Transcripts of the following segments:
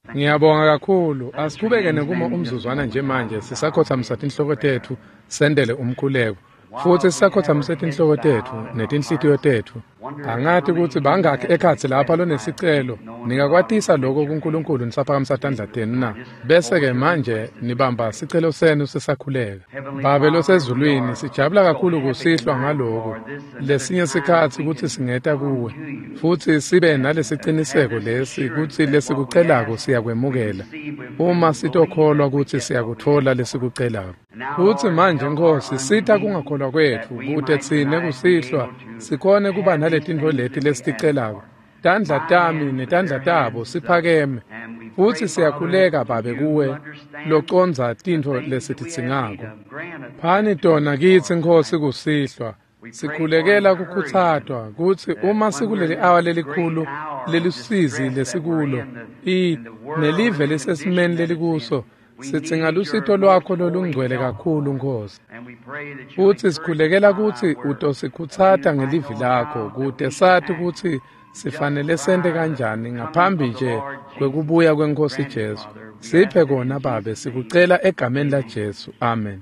Ngiyabonga kakhulu. Asiqhubeke nekuma umzuzwana nje manje sisakhothamisa tinhloko tetfu sendele umkhuleko. Futhi sisakhothamise tinhloko tetfu netinhlitiyo tetfu. Angati kutsi bangakhi ekhatsi lapha lonesicelo. Ningakwatisa lokho kuNkulunkulu nisaphakamisa tandla tenu na. Bese-ke manje nibamba sicelo senu sisakhuleka. Babe losezulwini, sijabula kakhulu kusihlwa ngaloku. Lesinye sikhatsi kutsi singeta kuwe futsi sibe nalesiciniseko lesi kutsi lesikucelako siyakwemukela. Uma sitokholwa kutsi siyakutfola lesikucelako. Futsi manje Nkhosi, sita kungakholwa kwetfu kute tsine kusihlwa sikhone kuba naletintfo leti lesiticelako. Tandla tami netandla tabo siphakeme, futsi siyakhuleka Babe kuwe locondza tintfo lesitidzingako. Phani tona kitsi Nkhosi kusihlwa. Sikhulekela kukhutsatwa kutsi uma sikuleli awa lelikhulu lelusizi lesikulo, nelive lisesimeni lelikuso, sidzinga lusito lwakho lolungcwele kakhulu Nkhosi. Futsi sikhulekela kutsi utosikhutsata ngelivi lakho kute sati kutsi sifanele sente kanjani ngaphambi nje kwekubuya kweNkhosi Jesu. Siphe kona Babe, sikucela egameni laJesu. Amen.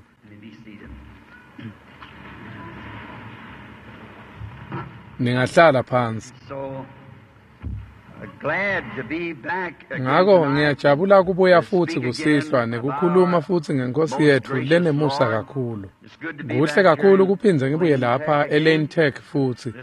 Ningahlala phansi. Ngako ngiyajabula kubuya futsi kusihlwa nekukhuluma futsi ngeNkhosi yetfu lenemusa kakhulu. Kuhle kakhulu kuphindze ngibuye lapha eLane Tech futsi.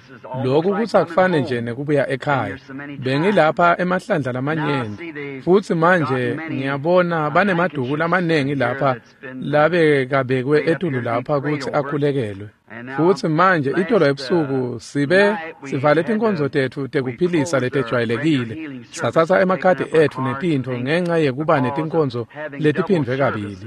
Lokhu kutsi akufane nje nekubuya ekhaya. Bengilapha emahlandla lamanyenti futsi manje ngiyabona banemaduku lamanengi lapha labekabekwe etulu lapha kutsi akhulekelwe. Futsi manje itolo ebusuku sibe sivale tinkonzo tetfu tekuphilisa letejwayelekile. Satsatsa emakhadi etfu netintfo ngenca yekuba netinkonzo letiphindvwe kabili.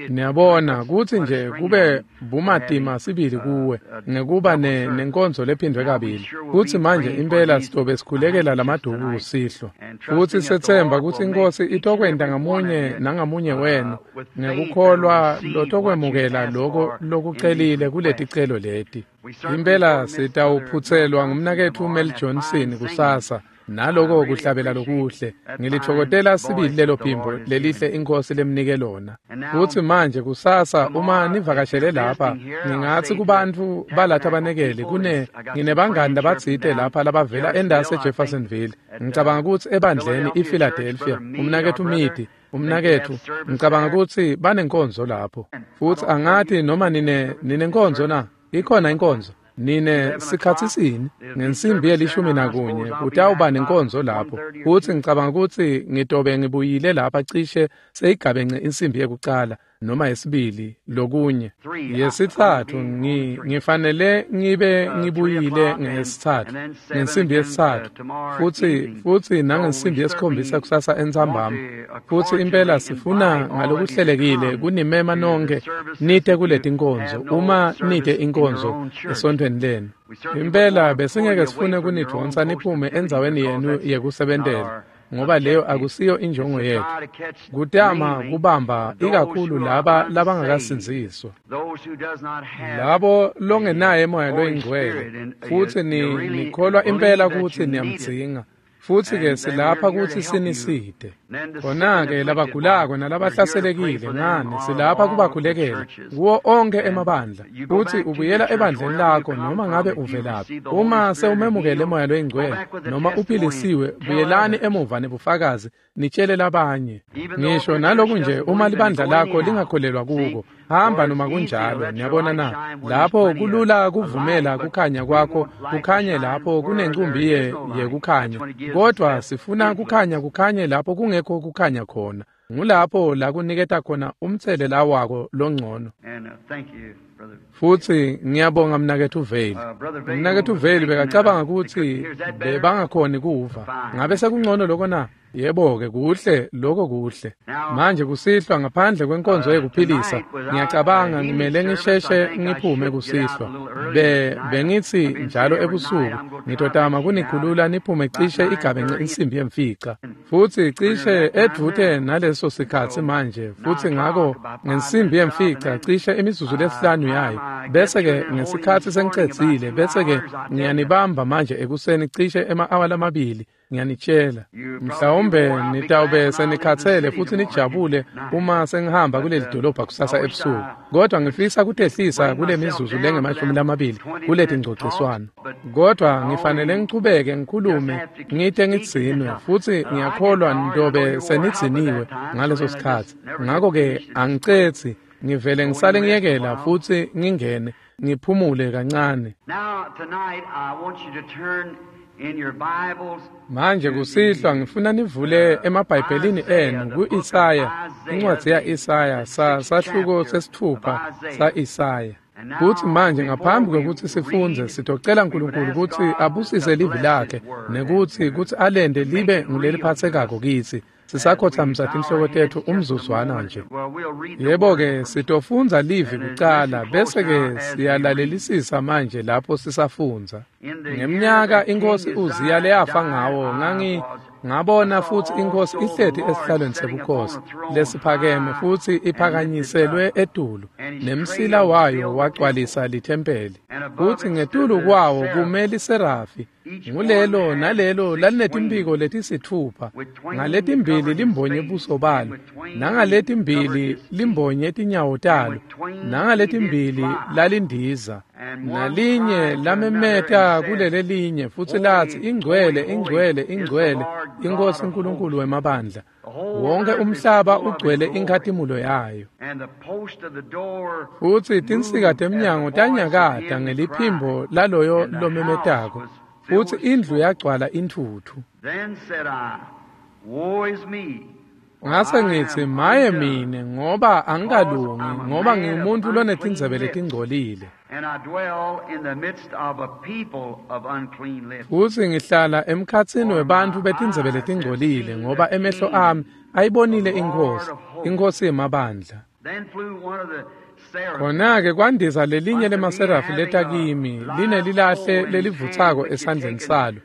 Niyabona kutsi nje kube bumatima sibili kuwe ngekuba nenkonzo lephindvwe kabili. Futsi manje impela sitobe sikhulekela lamaduku kusihlwa. Futsi setsemba kutsi iNkhosi itokwenta ngamunye nangamunye wenu ngekukholwa lotokwemukela loko lokucelile kuleticelo leti. Impela sitawuphutselwa ngumnaketfu Mel Johnson kusasa naloko kuhlabela lokuhle. Ngilitfokotela sibili lelo phimbo lelihle iNkhosi lemnike lona. Futsi manje kusasa uma nivakashele lapha, ngingatsi kubantfu balatha banekeli nginebangani labatsite lapha labavela endasi eJeffersonville. Ngicabanga kutsi ebandleni iPhiladelphia, umnaketfu Midi, umnaketfu, ngicabanga kutsi banenkonzo lapho. Futsi angati noma ninenkonzo na? Ikhona inkonzo. Nine sikhatsi sini ngensimbi ye-11 kutawuba nenkonzo lapho. Futsi ngicabanga kutsi ngitobe ngibuyile lapha cishe seyigabence insimbi yekucala noma yesibili lokunye. Yesitsatfu ngifanele ngibe ngibuyile ngesitsatfu ngensimbi yesitsatfu futsi nangensimbi yesikhombisa kusasa entsambama. Futsi impela sifuna ngalokuhlelekile kunimema nonke nite kuletinkonzo uma nite inkonzo esontfweni lenu. Impela besingeke sifune kunidvonsa niphume endzaweni yenu yekusebentela, ngoba leyo akusiyo injongo yetfu. Kutama kubamba ikakhulu laba labangakasindziswa, labo longenaye moya loyingcwele, futsi nikholwa impela kutsi niyamdzinga. Futsi-ke silapha kutsi sinisite. Khona-ke labagulako nalabahlaselekile ngani silapha kubakhulekela kuwo onkhe emabandla. Futsi ubuyela ebandleni lakho noma ngabe uvelaphi. Uma sewumemukele moya loyingcwele noma uphilisiwe, buyelani emuva nebufakazi nitshele labanye. Ngisho naloku nje uma libandla lakho lingakholelwa kuko, hamba noma kunjalo. Niyabona na? Lapho kulula kuvumela kukhanya kwakho kukhanye lapho kunencumbi yekukhanya. Kodwa sifuna kukhanya kukhanye lapho kungekho kukhanya khona. Ngulapho la kuniketa khona umtselela wako longcono. Futsi ngiyabonga mnaketfu Vale. Mnaketfu Vale bekacabanga kutsi bebangakhoni kuva. Ngabe sekungcono lokho na? Yebo-ke, kuhle, lokho kuhle. Manje kusihlwa ngaphandle kwenkonzo yekuphilisa, ngiyacabanga ngimele ngisheshe ngiphume kusihlwa. Bengithi njalo ebusuku ngitotama kunikhulula niphume cishe igabence insimbi yemfica. Futsi cishe edvute naleso sikhatsi manje, futsi ngako ngensimbi yemfica cishe imizuzu lesihlanu yayo. Bese-ke ngesikhatsi sengicedzile, bese-ke ngiyanibamba manje ekuseni cishe ema-awa lamabili. Ngiyanitshela, mhlawumbe nitawube senikhatsele futhi nijabule uma sengihamba kuleli dolobha kusasa ebusuku, kodwa ngifisa kutehlisa kule mizuzu lengama-20 kuleti ngcociswano. Kodwa ngifanele ngichubeke ngikhulume ngite ngidzinwe, futhi ngiyakholwa ntobe senidziniwe ngaleso sikhatsi. Ngako-ke angicetsi, ngivele ngisale ngiyekela futhi ngingene ngiphumule kancane. Now, tonight, I want you to turn in your Bibles. Manje kusihlwa ngifuna nivule emabhayibhelini enu ku-Isaya, incwadzi ya-Isaya, sahluko sesitfupha sa-Isaya. Kuthi manje ngaphambi kwekutsi sifundze, sitocela uNkulunkulu kutsi abusise livi lakhe nekutsi kutsi alente libe nguleliphatsekako kitsi. Sisakhothamisa tinhloko tetfu umzuzwana nje. Yebo-ke, sitofundza livi kucala, bese-ke siyalalelisisa manje lapho sisafundza. Ngemnyaka inkosi Uziya leyafa ngawo, ngabona futhi inkosi ihleti esihlalweni sebukhosi lesiphakeme futhi iphakanyiselwe etulu, nemsila wayo wagcwalisa lithempeli. Futhi ngetulu kwawo kume liserafi, ngulelo nalelo lalinetimphiko letisitfupha, ngaletimbili limbonye buso balo, nangaletimbili limbonye tinyawo talo, nangaletimbili lalindiza. Nalinye lamemeta kulelelinye futsi latsi, "Ingcwele, ingcwele, ingcwele, iNkhosi uNkulunkulu wemabandla. Wonke umhlaba ugcwele inkhatimulo yayo." And the post of the door Futsi tinsika temnyango tanyakata ngeliphimbo laloyo lomemetako, futsi indlu yagcwala intfutfu. Then said I, "Woe is me, for Ngase I ngitsi, am "Maye undone, mine, ngoba angikalungi, ngoba ngingumuntu lonetindzebe letingcolile, and I dwell in the midst of a people of unclean lips." Futsi ngihlala emkhatsini webantfu betindzebe letingcolile, ngoba emehlo ami ayibonile iNkhosi, iNkhosi yemabandla." Then flew one of the seraphim Khona-ke kwandiza lelinye lemaserafi leta kimi linelilahle lelivutsako esandleni salo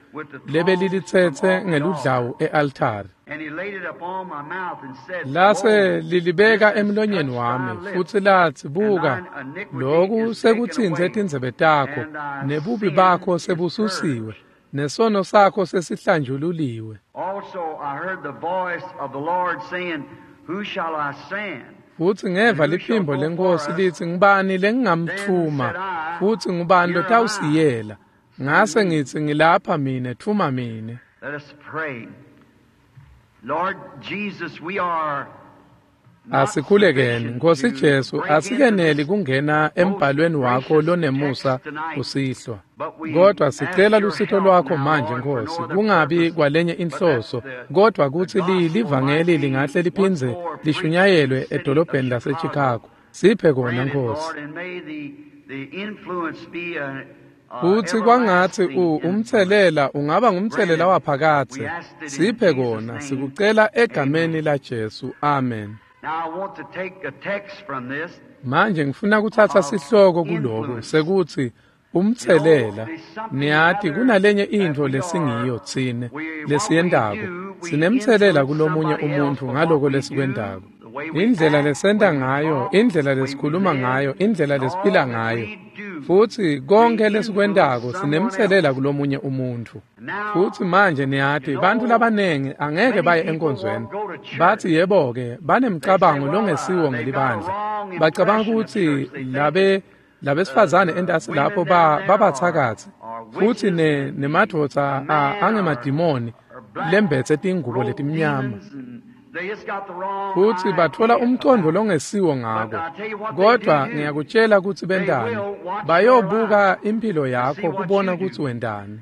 lebelilitsetse ngeludlawu e-altari. And he laid it upon my mouth and said, Lase "Lo, lilibeka this has emlonyeni touched wami thy lips, futsi latsi, "Buka, loku sekutsintse tindzebe takho, nebubi bakho sebususiwe, nesono sakho sesihlanjululiwe." Also I heard the voice of the Lord saying, "Who shall I send?" Futsi ngeva liphimbo leNkhosi litsi, "Ngubani lengingamtfuma, futsi ngubani lotawusiyela?" Ngase ngitsi, "Ngilapha mine, tfuma mine." Let us pray. Lord Jesus, we are not Asikhulekeni. sufficient Nkosi to Jesu, break into asikeneli this kungena embhalweni wakho lonemusa kusihlwa, kodwa sicela lusito lwakho manje, Nkosi, kungabi kwalenye inhloso, kodwa kutsi livangeli lingahle liphindze lishunyayelwe edolobheni laseChicago. Siphe kona, Grant it, Nkosi. Lord, and may the influence be a Futsi kwangatsi everlasting influence. umtselela ungaba ngumtselela waphakadze. Siphe kona, sikucela egameni laJesu. Amen. Now I want to take a text from this. Manje ngifuna kutsatsa sihloko kuloku sekuthi umtselela. Niyati, kunalenye intfo lesingiyo tsine lesiyentako. Sinemtselela kulomunye umuntfu ngaloko lesikwentako. Indlela lesenta ngayo, indlela lesikhuluma ngayo, indlela lesiphila ngayo. Futsi konke lesikwentako sinemtselela kulomunye umuntfu. Futsi manje niyati, bantfu labanengi angeke baye enkonzweni. Batsi yebo-ke, banemcabango longesiwo ngelibandla. Bacabanga kutsi labesifazane entasi lapho babatsakatsi, futsi nemadvodza angemadimoni lembetse tingubo letimnyama. Futsi batfola umcondvo longesiwo ngako. Kodwa ngiyakutshela kutsi bentani. Bayobuka imphilo yakho kubona kutsi wentani.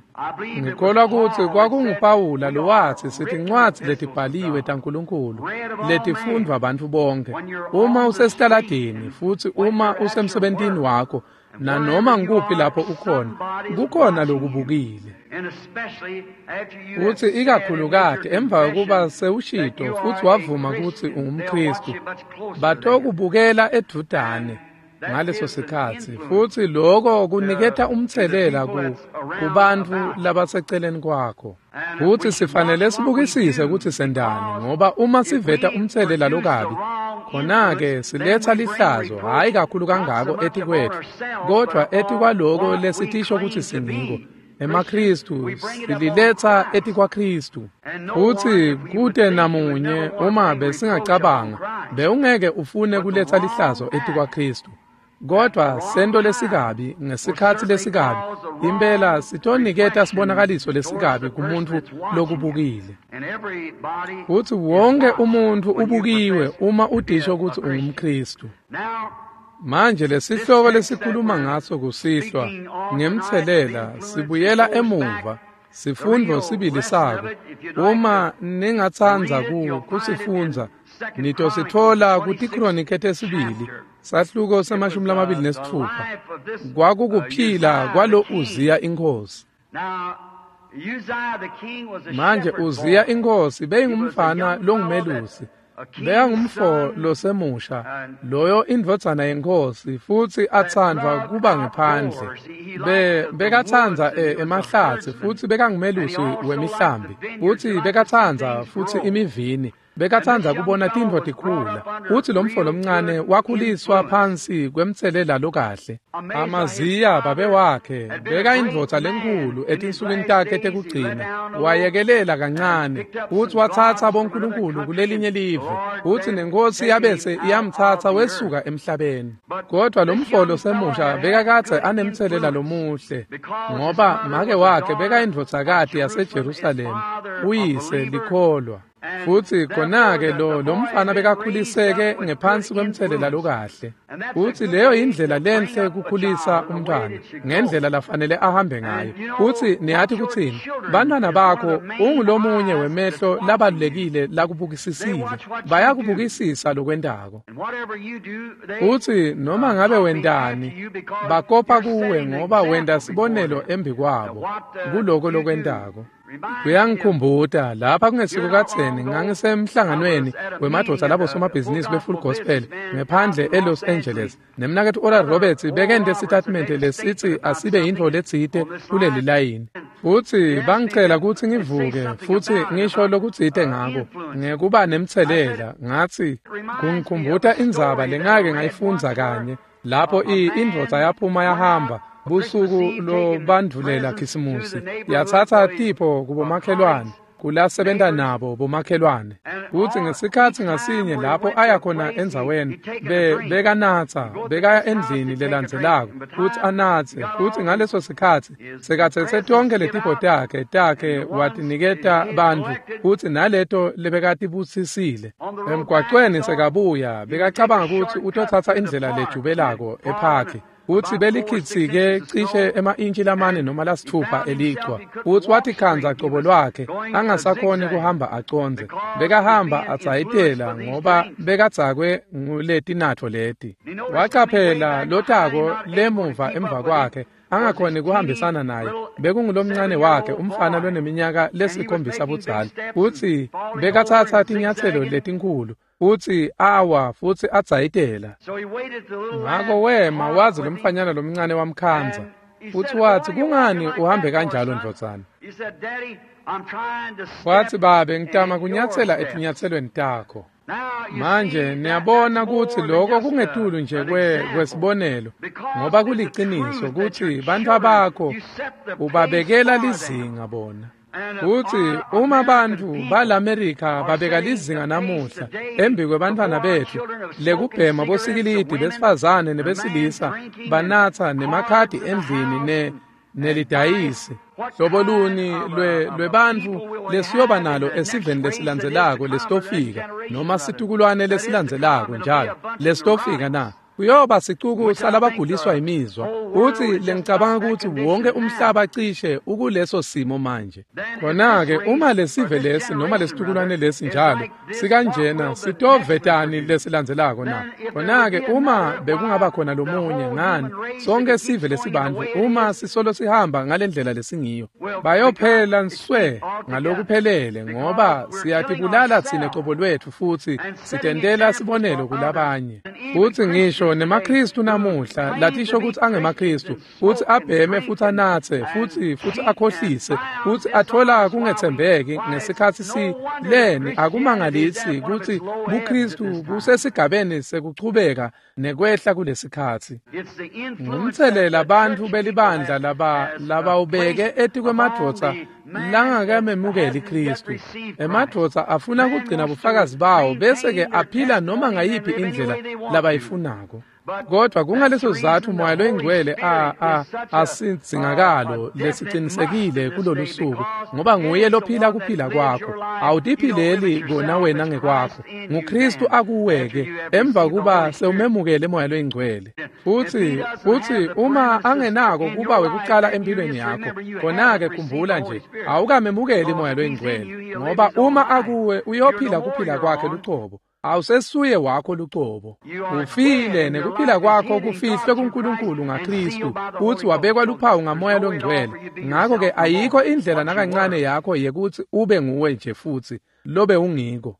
Ngikholwa kutsi kwakunguPawula lowatsi sitincwadzi letibhaliwe taNkulunkulu letifundvwa bantfu bonkhe. Uma usesitaladini futsi uma usemsebentini wakho, nanoma ngikuphi lapho ukhona, kukhona lokubukile. Futsi ikakhulukati emva kokuba sewushito futsi wavuma kutsi ungumKhristu, batokubukela edvutane ngaleso sikhatsi, futsi loko kuniketa umtselela kubantfu labaseceleni kwakho. Futsi sifanele sibukisise kutsi sentani, ngoba uma siveta umtselela lokabi, khona-ke siletsa lihlazo, hhayi kakhulu kangako etikwetfu, kodvwa etikwaloko lesitisho kutsi singiko. emaKhristu sililetsa etikwaKhristu. Futsi kute namunye uma besingacabanga bewungeke ufune kuletsa lihlazo etikwaKhristu. Kodwa sento lesikabi ngesikhatsi lesikabi impela sitoniketa sibonakaliso lesikabi kumuntu lokubukile. Futsi wonke umuntfu ubukiwe uma udisho kutsi ungumKhristu. Manje lesihloko lesikhuluma ngaso kusihlwa ngemtselela sibuyela emuva sifundvo sibili sako. Uma ningatsandza kusifundza nitositfola kutiKronike tesibili sahluko se-26. Kwakukuphila kwalo Uziya inkosi. Manje Uziya inkosi beyingumfana longumelusi, bekangumfo losemusha loyo indvodzana yenkosi, futsi atsandvwa kuba ngephandle. Bekatsandza emahlatsi futsi bekangumelusi wemihlambi, futsi bekatsandza futsi imivini, bekatsandza kubona tintfo tikhula. Futsi lo mfo lomncane wakhuliswa phansi kwemtselela lokahle. Amaziya babe wakhe bekayindvodza lenkhulu etinsukwini takhe tekugcina, wayekelela kancane futsi watsatsa bonkulunkulu kulelinye live, futsi nenkosi yabese iyamtsatsa wesuka emhlabeni. Kodwa lo mfo losemusha bekakadze anemtselela lomuhle, ngoba make wakhe bekayindvodzakati yaseJerusalema, uyise likholwa. Futsi khona-ke lo mfana bekakhuliseke ngephansi kwemtselela lokahle. Futsi leyo indlela lenhle kukhulisa umntwana ngendlela lafanele ahambe ngayo. Futsi niyati kutsini, bantwana bakho ungulomunye wemehlo labalulekile lakubukisisile, bayakubukisisa lokwentako. Futsi noma ngabe wentani bakopa kuwe, ngoba wenta sibonelo embi kwabo kuloko lokwentako. Kuyangikhumbuta lapha kungesiko kadzeni ngangisemhlanganweni wemadvodza labo somabhizinisi be-Full Gospel ngephandle eLos Angeles. Nemnaketfu Oral Roberts bekente sitatimende lesitsi asibe yintfo letsite kuleli layini. Futsi bangicela kutsi ngivuke futsi ngisho lokutsite ngako ngekuba nemtselela. Ngatsi kungikhumbuta indzaba lengake ngayifundza kanye lapho indvodza yaphuma yahamba busuku lobandvulela Khisimusi, yatsatsa tipho kubomakhelwane kulasebenta nabo bomakhelwane. Kutsi ngesikhatsi ngasinye lapho aya khona endzaweni bekanatsa, bekaya endlini lelandzelako kutsi anatse. Futsi ngaleso sikhatsi sekatsetse tonkhe letipho takhe watiniketa bantfu, futsi naleto lebekatibusisile. Emgwacweni sekabuya bekacabanga kutsi utotsatsa indlela lejubelako ephakhi, futsi belikhitsike cishe ema-intshi 4 noma 6 elichwa. Futsi watikhandza cobo lwakhe angasakhoni kuhamba acondze, bekahamba adzayitela ngoba bekadzakwe nguletinatfo leti. Wacaphela lotako lemuva emva kwakhe angakhoni kuhambisana naye, bekungulomncane wakhe umfana loneminyaka lesikhombisa budzala. Futsi bekatsatsa tinyatselo letinkhulu futsi awa futsi adzayitela. Ngako wema wazi lomfanyana lomncane wamkhandza, futsi watsi, "Kungani uhambe kanjalo ndvodzana?" Watsi, "Babe, ngitama kunyatsela etinyatselweni takho." Manje niyabona kutsi lokho kungetulu nje kwesibonelo, ngoba kuliciniso kutsi bantfwa bakho ubabekela lizinga bona. Futsi uma bantfu balaMerika babeka lizinga namuhla embi kwebantfwana betfu lekubhema bosikilidi besifazane nebesilisa banatsa nemakhadi endlini nelidayisi, hlobo luni lwebantfu lesiyoba nalo esiveni lesilandzelako lesitofika, noma situkulwane lesilandzelako njalo lesitofika na? Kuyoba sicuku salabaguliswa imizwa. Futsi lengicabanga kutsi wonke umhlaba cishe ukuleso simo manje. Khona-ke uma lesive lesi noma lesitukulwane lesi njalo sikanjena, sitovetani lesilandzelako na? Khona-ke uma bekungaba khona lomunye, ngani sonke sive lesibantfu uma sisolo sihamba ngalendlela lesingiyo, bayophela nswe ngalokuphelele, ngoba siyatibulala tsine cobo lwetfu futsi sitentela sibonelo kulabanye. Futsi ngisho Ngisho nemaKristu namuhla latisho kutsi angemaKristu, futsi abheme futsi anatse, futsi akhohlise, futsi athola kungetsembeki ngesikhatsi si leni akumangalisi kutsi buKristu busesigabeni sekuchubeka nekwehla kulesikhatsi. Ngumtselela bantfu belibandla labawubeke etikwemadvodza langakamemukeli Kristu. Emadvodza afuna kugcina bufakazi bawo bese-ke aphila noma ngayiphi indlela labayifunako. Kodwa kungaleso sizatfu Moya loyiNgcwele asidzingakalo lesicinisekile kulolu suku, ngoba nguye lophila kuphila kwakho. Awutiphileli kona wena ngekwakho, nguKristu akuweke emva kuba sewumemukele Moya loyiNgcwele. Futsi uma angenako kuba wekucala empilweni yakho, khona-ke khumbula nje awukamemukeli Moya loyiNgcwele, ngoba uma akuwe uyophila kuphila kwakhe lucobo. Awusesuye wakho lucobo. Ufile nekuphila kwakho kufihlwe kuNkulunkulu ngaKristu, futsi wabekwa luphawu ngaMoya loNgcwele. Ngakho-ke ayikho indlela nakancane yakho yekutsi ube nguwe nje futsi lobe ungiko.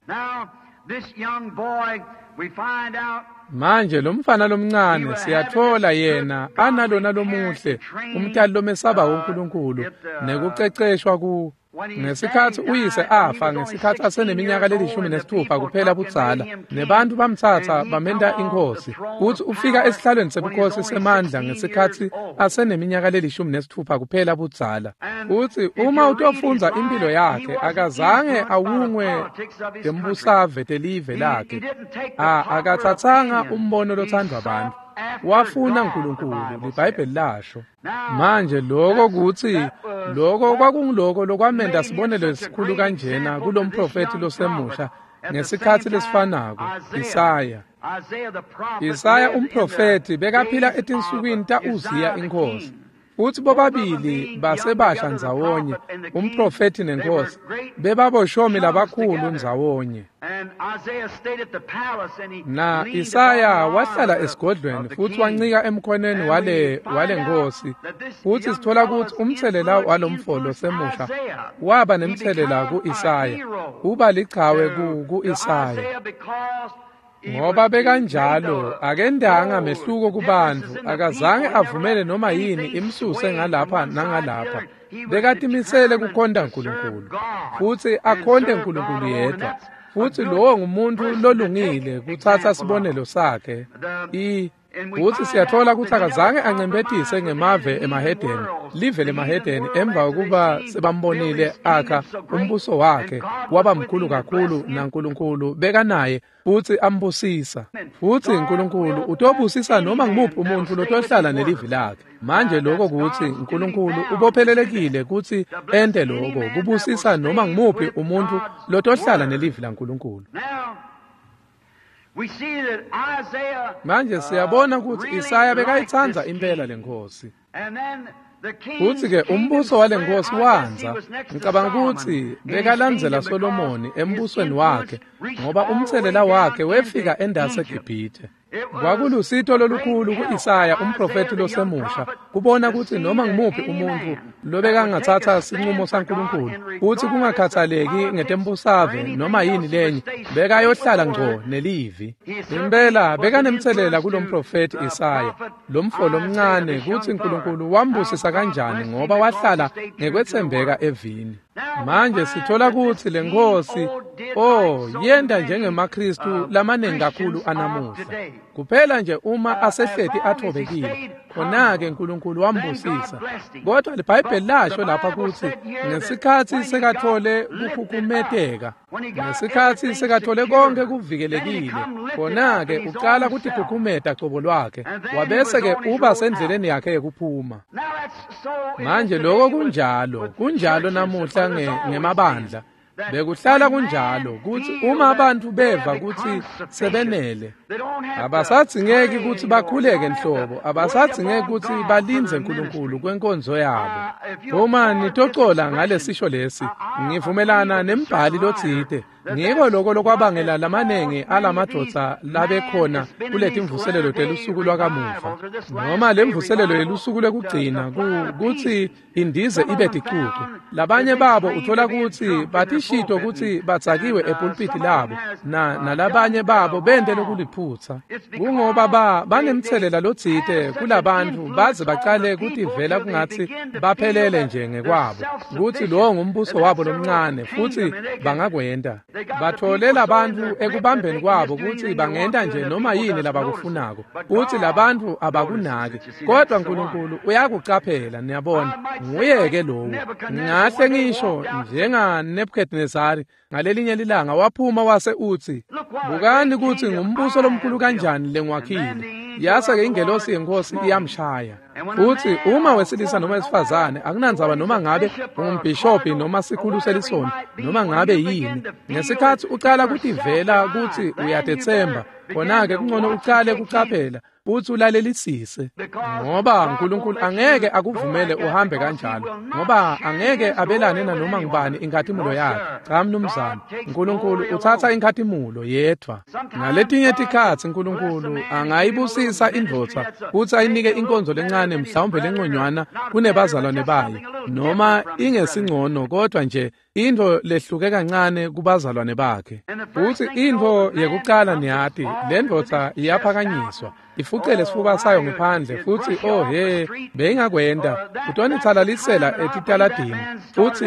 Manje lo mfana lomncane siyatfola yena analona lomuhle umtali lomesaba uNkulunkulu nekuceceshwa ku ngesikhatsi uyise afa ngesikhatsi aseneminyaka le16 kuphela budzala, nebantu bamtsatsa bamenta inkosi, futsi ufika esihlalweni sebukhosi semandla ngesikhatsi aseneminyaka le16 kuphela budzala. Futsi uma utofundza impilo yakhe, akazange awungwe tembusave telive lakhe, akatsatsanga umbono lothandwa abantu. Wafuna uNkulunkulu, liBhayibheli lasho. Manje lokho kutsi lokho kwakungiloko lokwamenta sibonelo esikhulu kanjena kulomprofethi losemusha ngesikhatsi lesifanako Isaya. Isaya umprofethi bekaphila etinsukwini ta-Uziya inkosi. Futsi bobabili basebasha ndzawonye, umprofethi nenkosi, bebaboshomi labakhulu ndzawonye. Na Isaya wahlala esigodlweni futsi wancika emkhoneni wale nkosi. Futsi sithola kutsi umtselela walomfo losemusha waba nemtselela ku-Isaya, uba lichawe ku-Isaya. Ngoba bekanjalo akendanga mehluko kubantu, akazange avumele noma yini imsuse ngalapha nangalapha. Bekatimisele kukhonta uNkulunkulu, futsi akhonte uNkulunkulu yedwa. Futsi lowo ngumuntu lolungile kutsatsa sibonelo sakhe. Futsi siyatfola kutsi akazange ancemphetise ngemave emahedeni, live lemahedeni, emva kokuba sebambonile akha umbuso wakhe waba mkhulu kakhulu naNkulunkulu bekanaye futsi ambusisa. Futsi uNkulunkulu utobusisa noma ngumuphi umuntu lotohlala nelivi lakhe. Manje lokho kutsi uNkulunkulu ubophelelekile kutsi ente lokho, kubusisa noma ngumuphi umuntu lotohlala nelivi laNkulunkulu. Manje siyabona kutsi Isaya bekayitsandza impela lenkosi. Futsi-ke umbuso walenkosi wandza. Ngicabanga kutsi bekalandzela Solomoni embusweni wakhe, ngoba umtselela wakhe wefika endase eGibhithe. Kwakulusito lolukhulu ku-Isaya umprofethi losemusha kubona kutsi noma ngumuphi umuntfu lobekangatsatsa sincumo saNkulunkulu, futsi kungakhathaleki ngetembusave noma yini lenye, bekayohlala ngco nelivi. Impela bekanemtselela kulomprofethi Isaya, lomfo lomncane, kutsi uNkulunkulu wambusisa kanjani ngoba wahlala ngekwetsembeka evini. Manje sithola kutsi lenkosi yenta njengemaKristu lamaningi kakhulu anamuhla. Kuphela nje uma asehleti athobekile, khona-ke uNkulunkulu wambusisa. Kodwa liBhayibheli lasho lapha kutsi ngesikhatsi sekathole kukhukhumeteka, ngesikhatsi sekathole konke kuvikelekile, khona-ke ucala kutikhukhumeta cobo lwakhe, wabese-ke uba sendleleni yakhe yekuphuma. Manje lokho kunjalo namuhla ngemabandla. Bekuhlala kunjalo kutsi uma abantu beva kutsi sebenele, abasadzingeki kutsi bakhuleke nhlobo, abasadzingeki kutsi balindze uNkulunkulu kwenkonzo yabo. Uma nitocola ngalesisho lesi, ngivumelana nembhali lotsite. Ngiko loko lokwabangela lamanengi alamadvodza labekhona kuletimvuselelo telusuku lwakamuva, noma lemvuselelo yelusuku lwekugcina, kutsi indize ibe ticucu. Labanye babo uthola kutsi batishito kutsi badzakiwe epulpiti labo, nalabanye babo bente lokuliphutsa. Kungoba banemtselela lotsite kulabantfu baze bacale kutivela kungatsi baphelele nje ngekwabo, kutsi lowo ngumbuso wabo lomncane, futsi bangakwenta. Bathole labantfu ekubambeni kwabo kutsi bangenta nje noma yini labakufunako, futsi labantfu abakunaki. Kodwa Nkulunkulu uyakucaphela, niyabona. Nguye-ke lowo. Ngahle ngisho njenga Nebuchadnezzar ngalelinye lilanga waphuma wase utsi, bukani kutsi ngumbuso lomkhulu kanjani lengiwakhile. Yase-ke ingelosi yenkosi iyamshaya. Futsi uma wesilisa noma wesifazane, akunandzaba noma ngabe ungumbhishobhi noma sikhulu selisonto noma ngabe yini, ngesikhatsi ucala kutivela kutsi uyatetsemba, khona-ke kungcono ucale kucaphela futsi ulalelisise, ngoba Nkulunkulu angeke akuvumele uhambe kanjalo, ngoba angeke abelane nanoma ngubani inkhatimulo yakhe. Cha mnumzane, Nkulunkulu utsatsa inkhatimulo yedvwa. Ngaletinye tikhatsi Nkulunkulu angayibusisa indvodza futsi ayinike inkonzo lencane, mhlawumbe lenconywana kunebazalwane bayo, noma ingesingcono, kodwa nje intfo lehluke kancane kubazalwane bakhe. Futsi intfo yekucala niyati, le ndvodza iyaphakanyiswa, ifucele sifuba sayo ngephandle, futsi oh he, beyingakwenta utonitsalalisela etitaladini. Futsi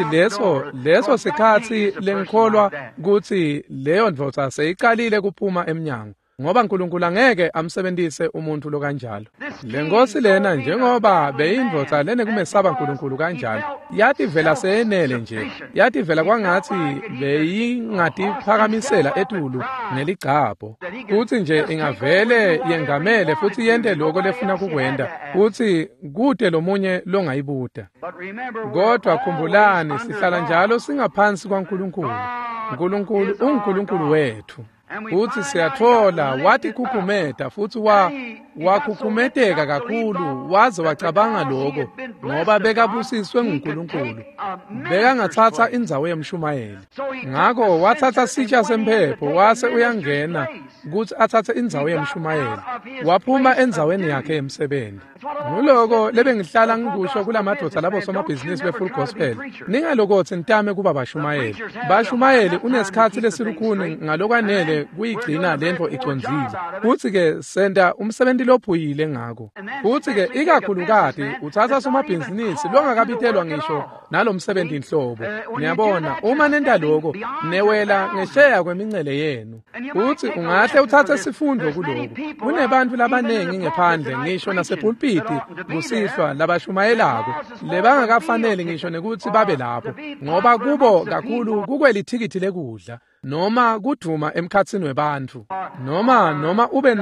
leso sikhatsi lengikholwa kutsi leyo ndvodza seyicalile kuphuma emnyango, ngoba Nkulunkulu angeke amsebentise umuntfu lokanjalo. Le nkosi lena, njengoba beyindvodza lenekumesaba Nkulunkulu kanjalo, yativela seyenele nje, yativela kwangatsi beyingatiphakamisela etulu ngeligcabho, futsi nje ingavele yengamele futsi yente loko lefuna kukwenta, futsi kute lomunye longayibuta. Kodwa khumbulani, sihlala njalo singaphansi kwaNkulunkulu. Nkulunkulu unguNkulunkulu wethu. Futsi siyatfola watikhukhumeta, futsi wakhukhumeteka kakhulu waze wacabanga lokho, ngoba bekabusiswe nguNkulunkulu, bekangatsatsa indzawo yemshumayeli. Ngako watsatsa sitsha semphepho wase uyangena kutsi atsatse indzawo yemshumayeli, waphuma endzaweni yakhe yemsebenzi. Nguloko lebengihlala ngikusho kulamadvodza labo somabhizinisi be-Full Gospel, ningalokotsi nitame kuba bashumayeli. Bashumayeli unesikhatsi lesilukhuni ngalokwanele kuyigcina lentfo icondzile, futsi-ke senta umsebenzi lophuyile ngako. Futsi-ke ikakhulukati utsatsa somabhizinisi longakabitelwa ngisho nalomsebenzi inhlobo. Niyabona, uma nenta loko newela ngesheya kwemincele yenu. Futsi ungahle utsatse sifundo kuloku. Kunebantfu labanengi ngephandle ngisho nasepulpiti kusihlwa labashumayelako lebangakafaneli ngisho nekutsi babe lapho, ngoba kubo kakhulu kukwelithikithi lekudla, noma kudvuma emkhatsini webantfu, noma ube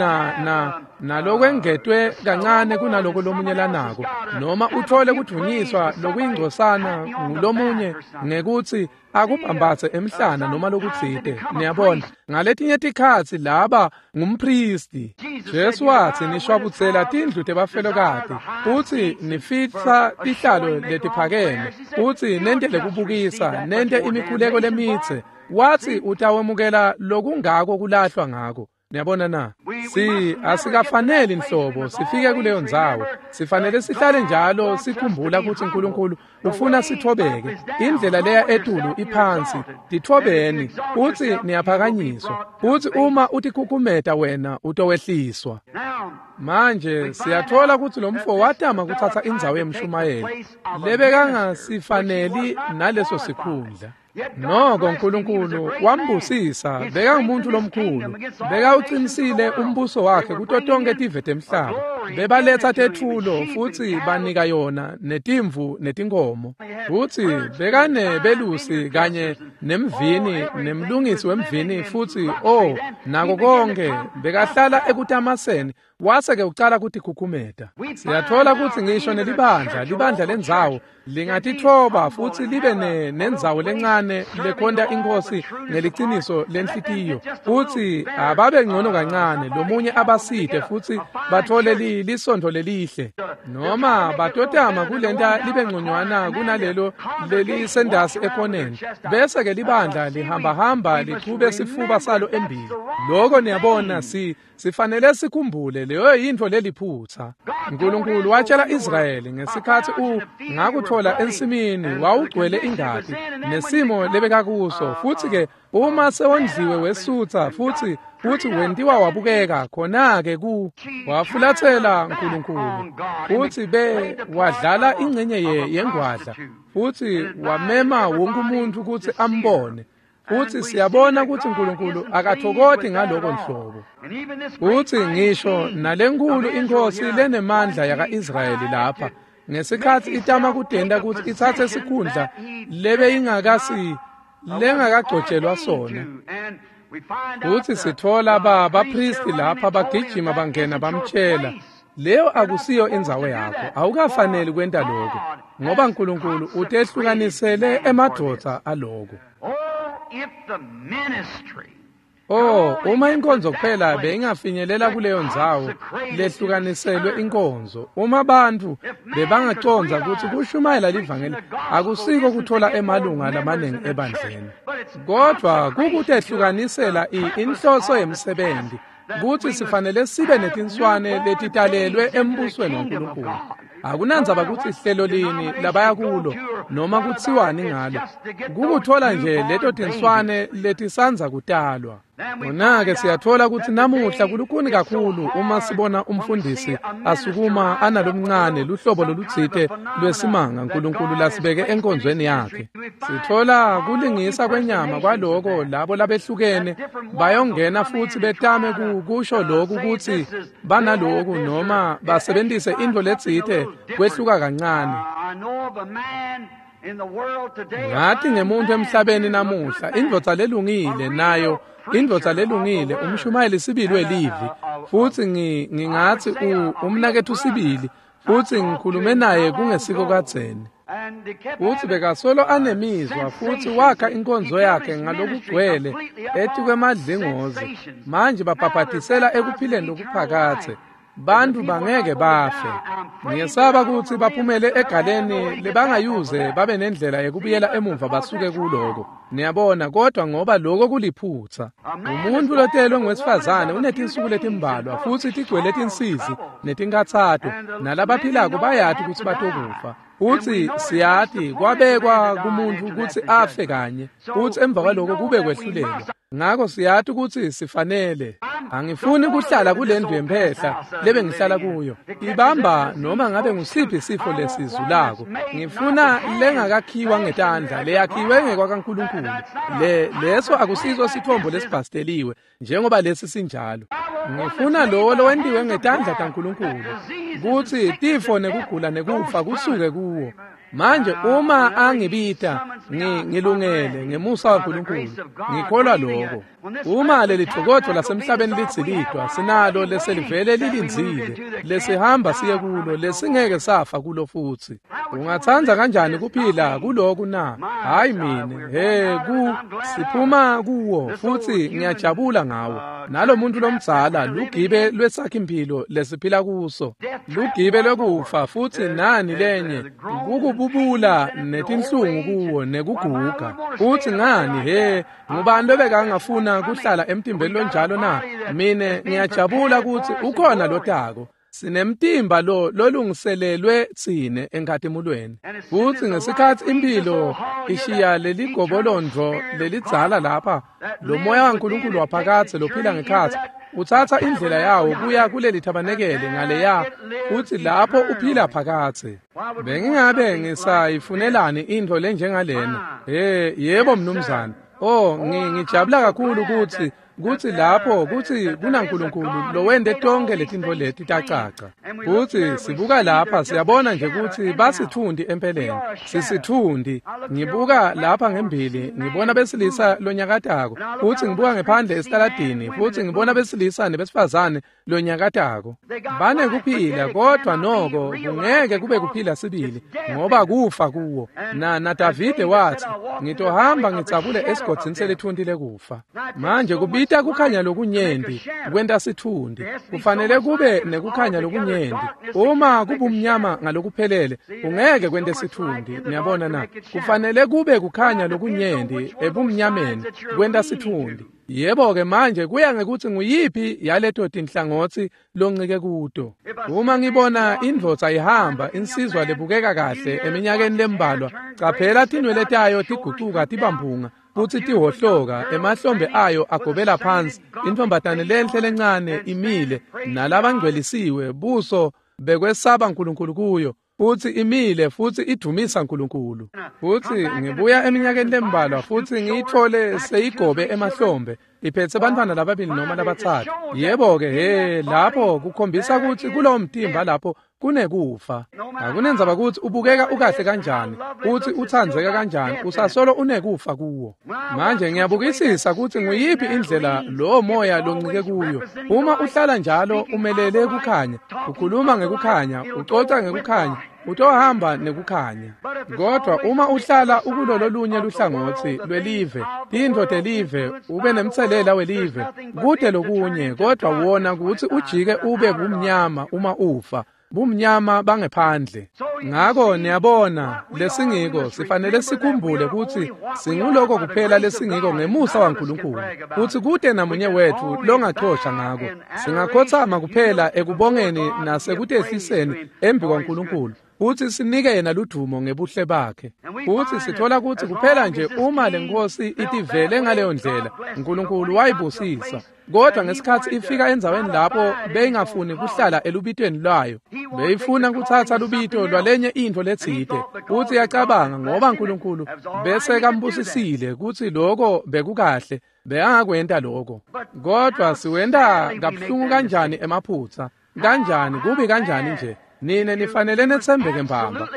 nalokwengetwe kancane kunaloko lomunye lanako, noma uthole kudvunyiswa lokuyingcosana ngulomunye ngekutsi akubhambatse emhlana noma lokutsite. Niyabona, ngaletinye tikhatsi laba ngumpristi. Jesu watsi, nishwabutsela tindlu tebafelokati, futsi nifihla tihlalo letiphakeme, futsi nentele kubukisa, nente imikhuleko lemitse. Watsi utawemukela lokungako kulahlwa ngako. Niyabona na? Asikafaneli nhlobo sifike kuleyo ndzawo. Sifanele sihlale njalo sikhumbula kutsi Nkulunkulu ufuna sithobeke. Indlela leya etulu iphansi. Tithobeni, futsi niyaphakanyiswa. Futsi uma utikhukhumeta wena utowehliswa. Manje siyatfola kutsi lomfo watama kutsatsa indzawo yemshumayeli lebekangasifaneli naleso sikhundla. Noko Nkulunkulu wambusisa, bekangumuntu lomkhulu, bekawuqinisile umbuso wakhe kuto tonke tive temhlaba. Bebaletsa tetfulo futsi banika yona netimvu netinkomo. Futsi bekanebelusi kanye nemvini nemlungisi wemvini, futsi nako konke bekahlala ekutamaseni. Wase-ke ucala kutikhukhumeta. Siyatfola kutsi ngisho nelibandla, libandla lendzawo lingatitfoba futsi libe nendzawo lencane lekhonta inkosi ngeliciniso lenhlitiyo, futsi ababe ngcono kancane, lomunye abasite futsi bathole lisonto lelihle noma batotama kulenta libe ngconywana kunalelo lelisendasi ekhoneni, bese ke libandla lihamba lichube sifuba salo embili. Lokho niyabona sifanele sikhumbule leyo yintfo leliphutsa. uNkulunkulu watshela Israyeli ngesikhathi ngakuthola ensimini wawugcwele ingati nesimo lebekakuso, futhi ke uma sewondliwe wesutha futhi wentiwa wabukeka, khona-ke wafulathela uNkulunkulu futhi wadlala ingxenye yengwadla futhi wamema wonke umuntu ukuthi ambone. Futhi siyabona ukuthi uNkulunkulu akathokoti ngaloko nhlobo. Futhi ngisho nalenkulu inkosi lenemandla yaka-Israyeli lapha ngesikhathi itama kudenda ukuthi ithathe isikhundla lengakagcotshelwa sona. Futhi sithola bapristi lapha bagijima bangena bamtshela, leyo akusiyo indzawo yakho, awukafaneli kwenta lokho, ngoba uNkulunkulu utehlukanisele emadvodza aloko. Uma inkonzo kuphela beyingafinyelela kuleyo ndzawo lehlukaniselwe inkonzo, uma abantu bebangacondza ukuthi kushumayela livangeli akusiko kuthola emalunga lamaningi ebandleni, kodwa kukutehlukanisela inhloso yemsebenzi ukuthi sifanele sibe netinswane letitalelwe embusweni waNkulunkulu. Akunandzaba ukuthi ihlelo lini labaya kulo noma kutsiwani ngalo, kukuthola nje leto tinswane letisanza kutalwa. Kona-ke siyathola ukuthi namuhla kulukhuni kakhulu uma sibona umfundisi asukuma analomncane luhlobo lolutsite lwesimanga uNkulunkulu lasibeke enkonzweni yakhe. Sithola kulingisa kwenyama kwaloko labo labehlukene bayongena futhi betame kusho lokhu ukuthi banaloku noma basebenzise into letsite kwehluka kancane. Ngathi ngemuntu emhlabeni namuhla, indvodza lelungile nayo indvodza lelungile umshumayeli sibili welivi, futhi ngingathi umnakethu sibili, futhi ngikhulume naye kungesiko kadzeni. Futhi bekasolo anemizwa futhi wakha inkonzo yakhe ngalokugcwele etikwemadlingozi. Manje babhabhadisela ekuphileni lokuphakathe. Bantu bangeke bafe. Ngiyesaba ukuthi baphumele egaleni lebangayuze babe nendlela yekubuyela emuva basuke kuloko. Niyabona, kodwa ngoba lokho kuliphutha. Umuntu lotelwe ngowesifazane unetinsuku letimbalwa futhi tigcwele tinsizi netinkathato, nalabaphilako bayati ukuthi batokufa. Futhi siyati kwabekwa kumuntu ukuthi afe kanye, futhi emva kwaloko kube kwehlulelwa. Ngakho siyati ukuthi sifanele. Angifuni kuhlala kulendlu yemphehla lebe ngihlala kuyo. Ibamba noma ngabe ngusiphi isifo lesizulako. Ngifuna lengakakhiwa ngetandla, leyakhiwe ngekwakaNkulunkulu. Leso akusiso sithombo lesibhasteliwe njengoba lesi sinjalo. Ngifuna lowo lowentiwe ngetandla taNkulunkulu kuthi tifo nekugula nekufa kusuke kuwo. Manje uma angibita ngilungele ngemusa waNkulunkulu, ngikholwa lokho. Uma leli thokodo lasemhlabeni litsilidwa, sinalo leselivele lilindzile lesihamba siye kulo, lesingeke safa kulo futhi. Ungathanda kanjani kuphila kuloku na? Hayi mine, siphuma kuwo futhi ngiyajabula ngawo. Nalo muntu lomdzala lugibe lwesakhe impilo lesiphila kuso, lugibe lwekufa futhi nani lenye kukububula netinhlungu kuwo nekuguga. Futhi ngani ngubani lobekangafuna kuhlala emtimbeni lonjalo na? Mine ngiyajabula ukuthi ukhona lotako. Sinemtimba lo lolungiselelwe tsine enkatimulweni. Futhi ngesikhathi impilo ishiya leligobolondvo lelidzala lapha, lo moya waNkulunkulu waphakathe lophila ngekhatsi utsatsa indlela yawo kuya kuleli thabanekele ngaleya, futhi lapho uphila phakathe. Bengingabe ngisayifunelani into lenjengalena? Yebo mnumzane. Ngijabula kakhulu ukuthi lapho kuthi kunaNkulunkulu lowente tonke letintfo leti tacaca. Futhi sibuka lapha siyabona nje ukuthi basithundi empeleni. Sisithundi. Ngibuka lapha ngembili ngibona besilisa lonyakatako, futhi ngibuka ngephandle esitaladini futhi ngibona besilisa nebesifazane lonyakatako. Banekuphila kodwa noko kungeke kube kuphila sibili ngoba kufa kuwo. Na Davide wathi, ngitohamba ngitsabule esigodzini selithunti lekufa. Manje Kubita kukhanya lokunyenti kwenta sitfundi. Kufanele kube nekukhanya lokunyenti. Uma kubumnyama ngalokuphelele ungeke kwente sitfundi. Niyabona na? Kufanele kube kukhanya lokunyenti ebumnyameni kwenta sitfundi. Yebo-ke manje kuya ngekuthi nguyiphi yaleto tinhlangotsi loncike kuto. Uma ngibona indvodza ihamba, insizwa lebukeka kahle eminyakeni lembalwa, caphela tinwele tayo tigucuka tibamphunga futsi tihohloka, emahlombe ayo agobela phansi, intfombatane lenhle lencane imile nalabangcwelisiwe, buso bekwesaba uNkulunkulu kuyo, futsi imile futsi idumisa uNkulunkulu. Futsi ngibuya eminyakeni lembalwa futsi ngiyithole seyigobe emahlombe, iphetse bantfwana lababili noma labatsatfu. Yebo-ke, he, lapho kukhombisa kutsi kulowo mtimba lapho kunekufa. Akunendzaba kutsi ubukeka ukahle kanjani, kutsi utsandzeka kanjani, usasolo unekufa kuwo. Manje ngiyabukisisa kutsi nguyiphi indlela lowo moya loncike kuyo. Uma uhlala njalo umelele kukhanya, ukhuluma ngekukhanya, ucoca ngekukhanya, utohamba nekukhanya. Kodwa uma uhlala ukulololunye luhlangotsi lwelive, tintfo telive, ube nemtselela welive, kude lokunye, kodwa wona kutsi ujike ube bumnyama uma ufa, bumnyama bangephandle. Ngako niyabona lesingiko, sifanele sikhumbule kutsi singuloko kuphela lesingiko ngemusa waNkulunkulu, kutsi kute namunye wetfu longachosha ngako. Singakhotsama kuphela ekubongeni nasekutehliseni embi kwaNkulunkulu, futsi sinike yena ludumo ngebuhle bakhe. Futsi sithola kutsi kuphela nje uma lenkosi itivele ngaleyo ndlela, uNkulunkulu wayibusisa. Kodwa ngesikhatsi ifika endzaweni lapho beyingafuni kuhlala elubitweni lwayo, beyifuna kutsatsa lubito lwalenye intfo letsite, futsi yacabanga ngoba uNkulunkulu bese kambusisile kutsi loko bekukahle, bekangakwenta loko. Kodwa siwenta kabuhlungu kanjani emaphutsa, kanjani kubi kanjani nje. Nine nifanele netsembeke mbamba.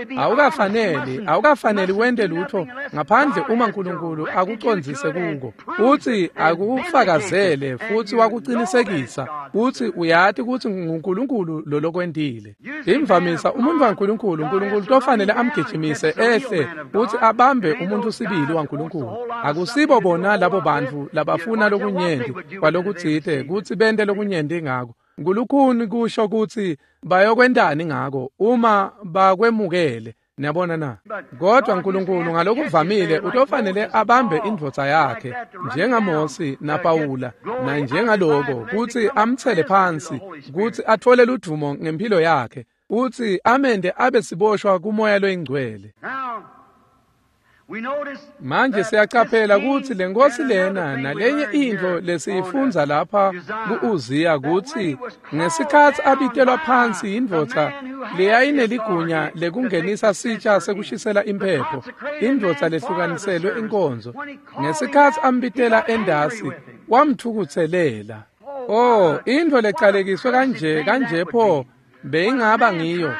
Awukafaneli wente lutho ngaphandle uma uNkulunkulu akucondzise kuko, utsi akufakazele futsi wakucinisekisa utsi uyati kutsi nguNkulunkulu lolokwentile. Imvamisa umuntu waNkulunkulu, uNkulunkulu tofanele amgijimise ehle utsi abambe umuntu sibili waNkulunkulu. Akusibo bona labo bantfu labafuna lokunyenti kwalokutsite kutsi bente lokunyenti ngako. Ngulukhuni kusho kutsi bayokwentani ngako uma bakwemukele. Niyabona na? Kodwa uNkulunkulu ngalokuvamile utofanele abambe indvodza yakhe njengaMosi naPawula nanjengaloko, kutsi amtsele phansi, kutsi atfole ludumo ngempilo yakhe, utsi amende abe siboshwa kumoya loyingcwele. Manje siyacaphela kutsi lenkosi lena nalenye intfo lesiyifundza lapha ku-Uziya, kutsi ngesikhatsi abitelwa phansi indvodza leyayineligunya lekungenisa sitsha sekushisela imphepho, indvodza lehlukaniselwe inkonzo, ngesikhatsi ambitela endasi wamthukutselela. Oh, intfo lecalekiswe kanje pho beyingaba ngiyo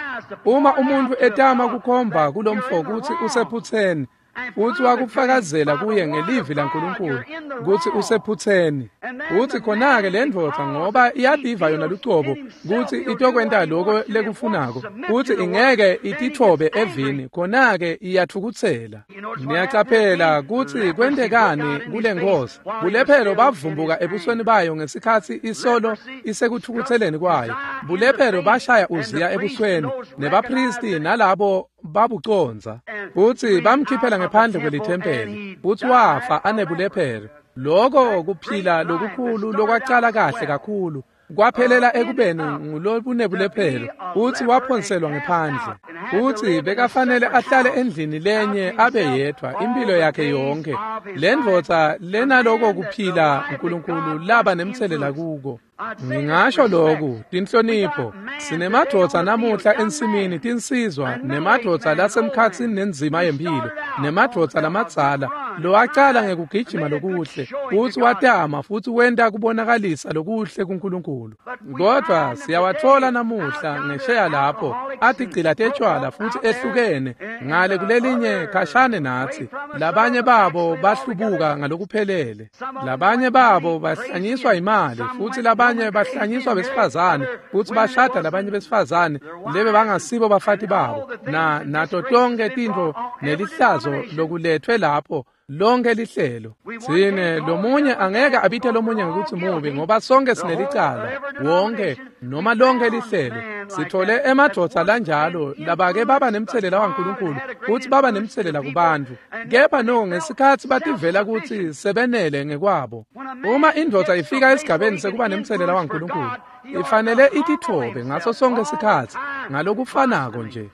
uma umuntu etama kukhomba kulomfo kutsi usephutseni, futsi wakufakazela kuye ngelivi laNkulunkulu kutsi usephutseni. Futsi khona-ke le ndvodza, ngoba iyativa yona lucobo kutsi itokwenta loko lekufunako, futsi ingeke ititfobe evini, khona-ke iyatfukutsela. Niyacaphela kutsi kwentekani kule nkosi. Bulephelo bavumbuka ebusweni bayo ngesikhatsi isolo isekutfukutseleni kwayo. Bulephelo bashaya Uziya ebusweni, nebaphristi nalabo babucondza, futsi bamkhiphela ngephandle kwelithempeli, futsi wafa anebulephelo. Loko kuphila lokukhulu lokwacala kahle kakhulu kwaphelela ekubeni ngulobunebulephelo, futsi waphonselwa ngephandle. Futsi bekafanele ahlale endlini lenye abe yedvwa impilo yakhe yonke. Le ndvodza lenaloko kuphila uNkulunkulu laba nemtselela kuko. Ngingasho loku, tinhlonipho. Sinemadvodza namuhla ensimini, tinsizwa, nemadvodza lasemkhatsini nenzima yempilo, nemadvodza lamadzala lowacala ngekugijima lokuhle, futsi watama futsi wenta kubonakalisa lokuhle kuNkulunkulu. Kodwa siyawatfola namuhla ngesheya lapho atigcila tetshwala futsi ehlukene ngale kulelinye khashane natsi. Labanye babo bahlubuka ngalokuphelele, labanye babo bahlanyiswa imali, futsi labanye bahlanyiswa besifazane, futsi bashada labanye besifazane lebe bangasibo bafati babo, na nato tonke tintfo nelihlazo lokulethwe lapho Lonke lihlelo. Tsine lomunye angeke abite lomunye ngekutsi mubi ngoba sonke sinelicala. Wonke noma lonke lihlelo. Sithole emadvodza lanjalo labake baba nemtselela waNkulunkulu futsi baba nemtselela kubantfu. Kepha no ngesikhatsi bativela kutsi sebenele ngekwabo. Uma indvodza ifika esigabeni sekuba nemtselela waNkulunkulu, ifanele ititfobe ngaso sonke sikhatsi ngalokufanako nje.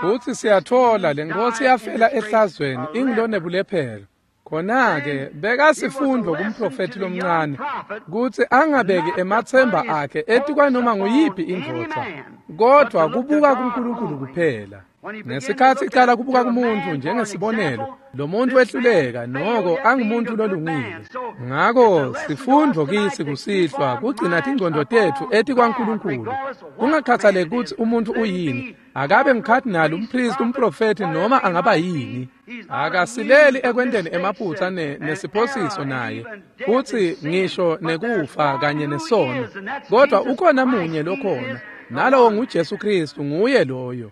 Futsi siyatfola lenkosi yafela ehlazweni ingulonebulephelo. Khona-ke bekasifundvo kumprofethi lomncane kutsi angabeki ematsemba akhe etikwanoma nguyiphi indvodza, kodvwa kubuka kuNkulunkulu kuphela. Ngesikhatsi icala kubuka kumuntfu njengesibonelo, lo muntfu wehluleka noko angumuntfu lolungile. Ngako sifundvo kitsi kusihlwa kugcina tingcondvo tetfu etikwaNkulunkulu. Kungakhathaleki kutsi umuntfu uyini, akabe ngukadinali, umpristi, umprofethi noma angaba yini. Akasileli ekwenteni emaphutsa nesiphosiso naye, futsi ngisho nekufa kanye nesono. Kodwa ukhona munye lokhona, nalowo nguJesu Kristu, nguye loyo.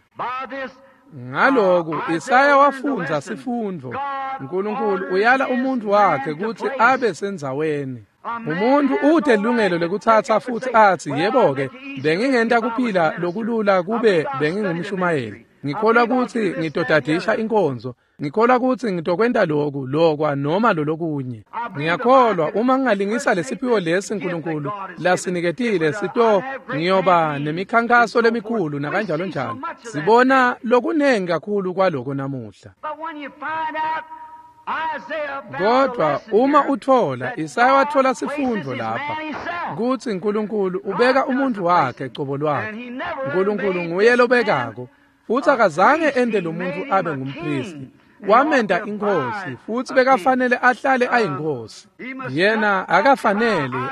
Ngaloku Isaya wafundza sifundvo. Nkulunkulu uyala umuntu wakhe kutsi abe sendzaweni. Umuntu ute ilungelo lekutsatsa futsi atsi, yebo-ke, bengingenta kuphila lokulula kube bengingumshumayeli. Ngikholwa kutsi ngitodadisha inkonzo. Ngikholwa kutsi ngitokwenta loku, lokwa noma lolokunye. Ngiyakholwa uma ngingalingisa lesiphiwo lesi Nkulunkulu lasiniketile sito ngiyoba nemikhankaso lemikhulu nakanjalo njalo. Sibona lokunengi kakhulu kwaloko namuhla. Kodwa uma utfola, Isaya watfola sifundvo lapha kutsi Nkulunkulu ubeka umuntu wakhe cobo lwakhe. Nkulunkulu nguye lobekako. Futsi akazange ente lo muntu abe ngumpristi. Wamenta inkosi futsi bekafanele ahlale ayinkosi. Yena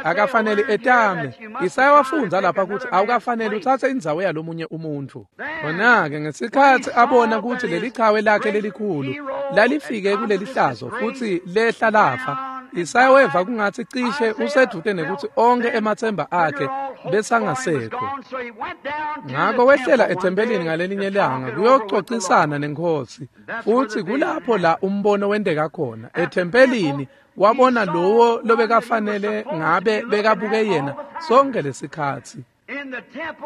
akafanele etame. Isaya wafundza lapha kutsi awukafanele utsatse indzawo yalomunye umuntfu. Khona-ke ngesikhatsi abona kutsi leli chawe lakhe lelikhulu lalifike kuleli hlazo futsi lehla lafa, Isaya weva kungatsi cishe usedvute nekutsi onkhe ematsemba akhe besangasekho. Ngako wehlela ethempelini ngalelinye langa kuyococisana nenkosi, futsi kulapho la umbono wenteka khona. Ethempelini wabona lowo lobekafanele ngabe bekabuke yena sonke lesikhatsi.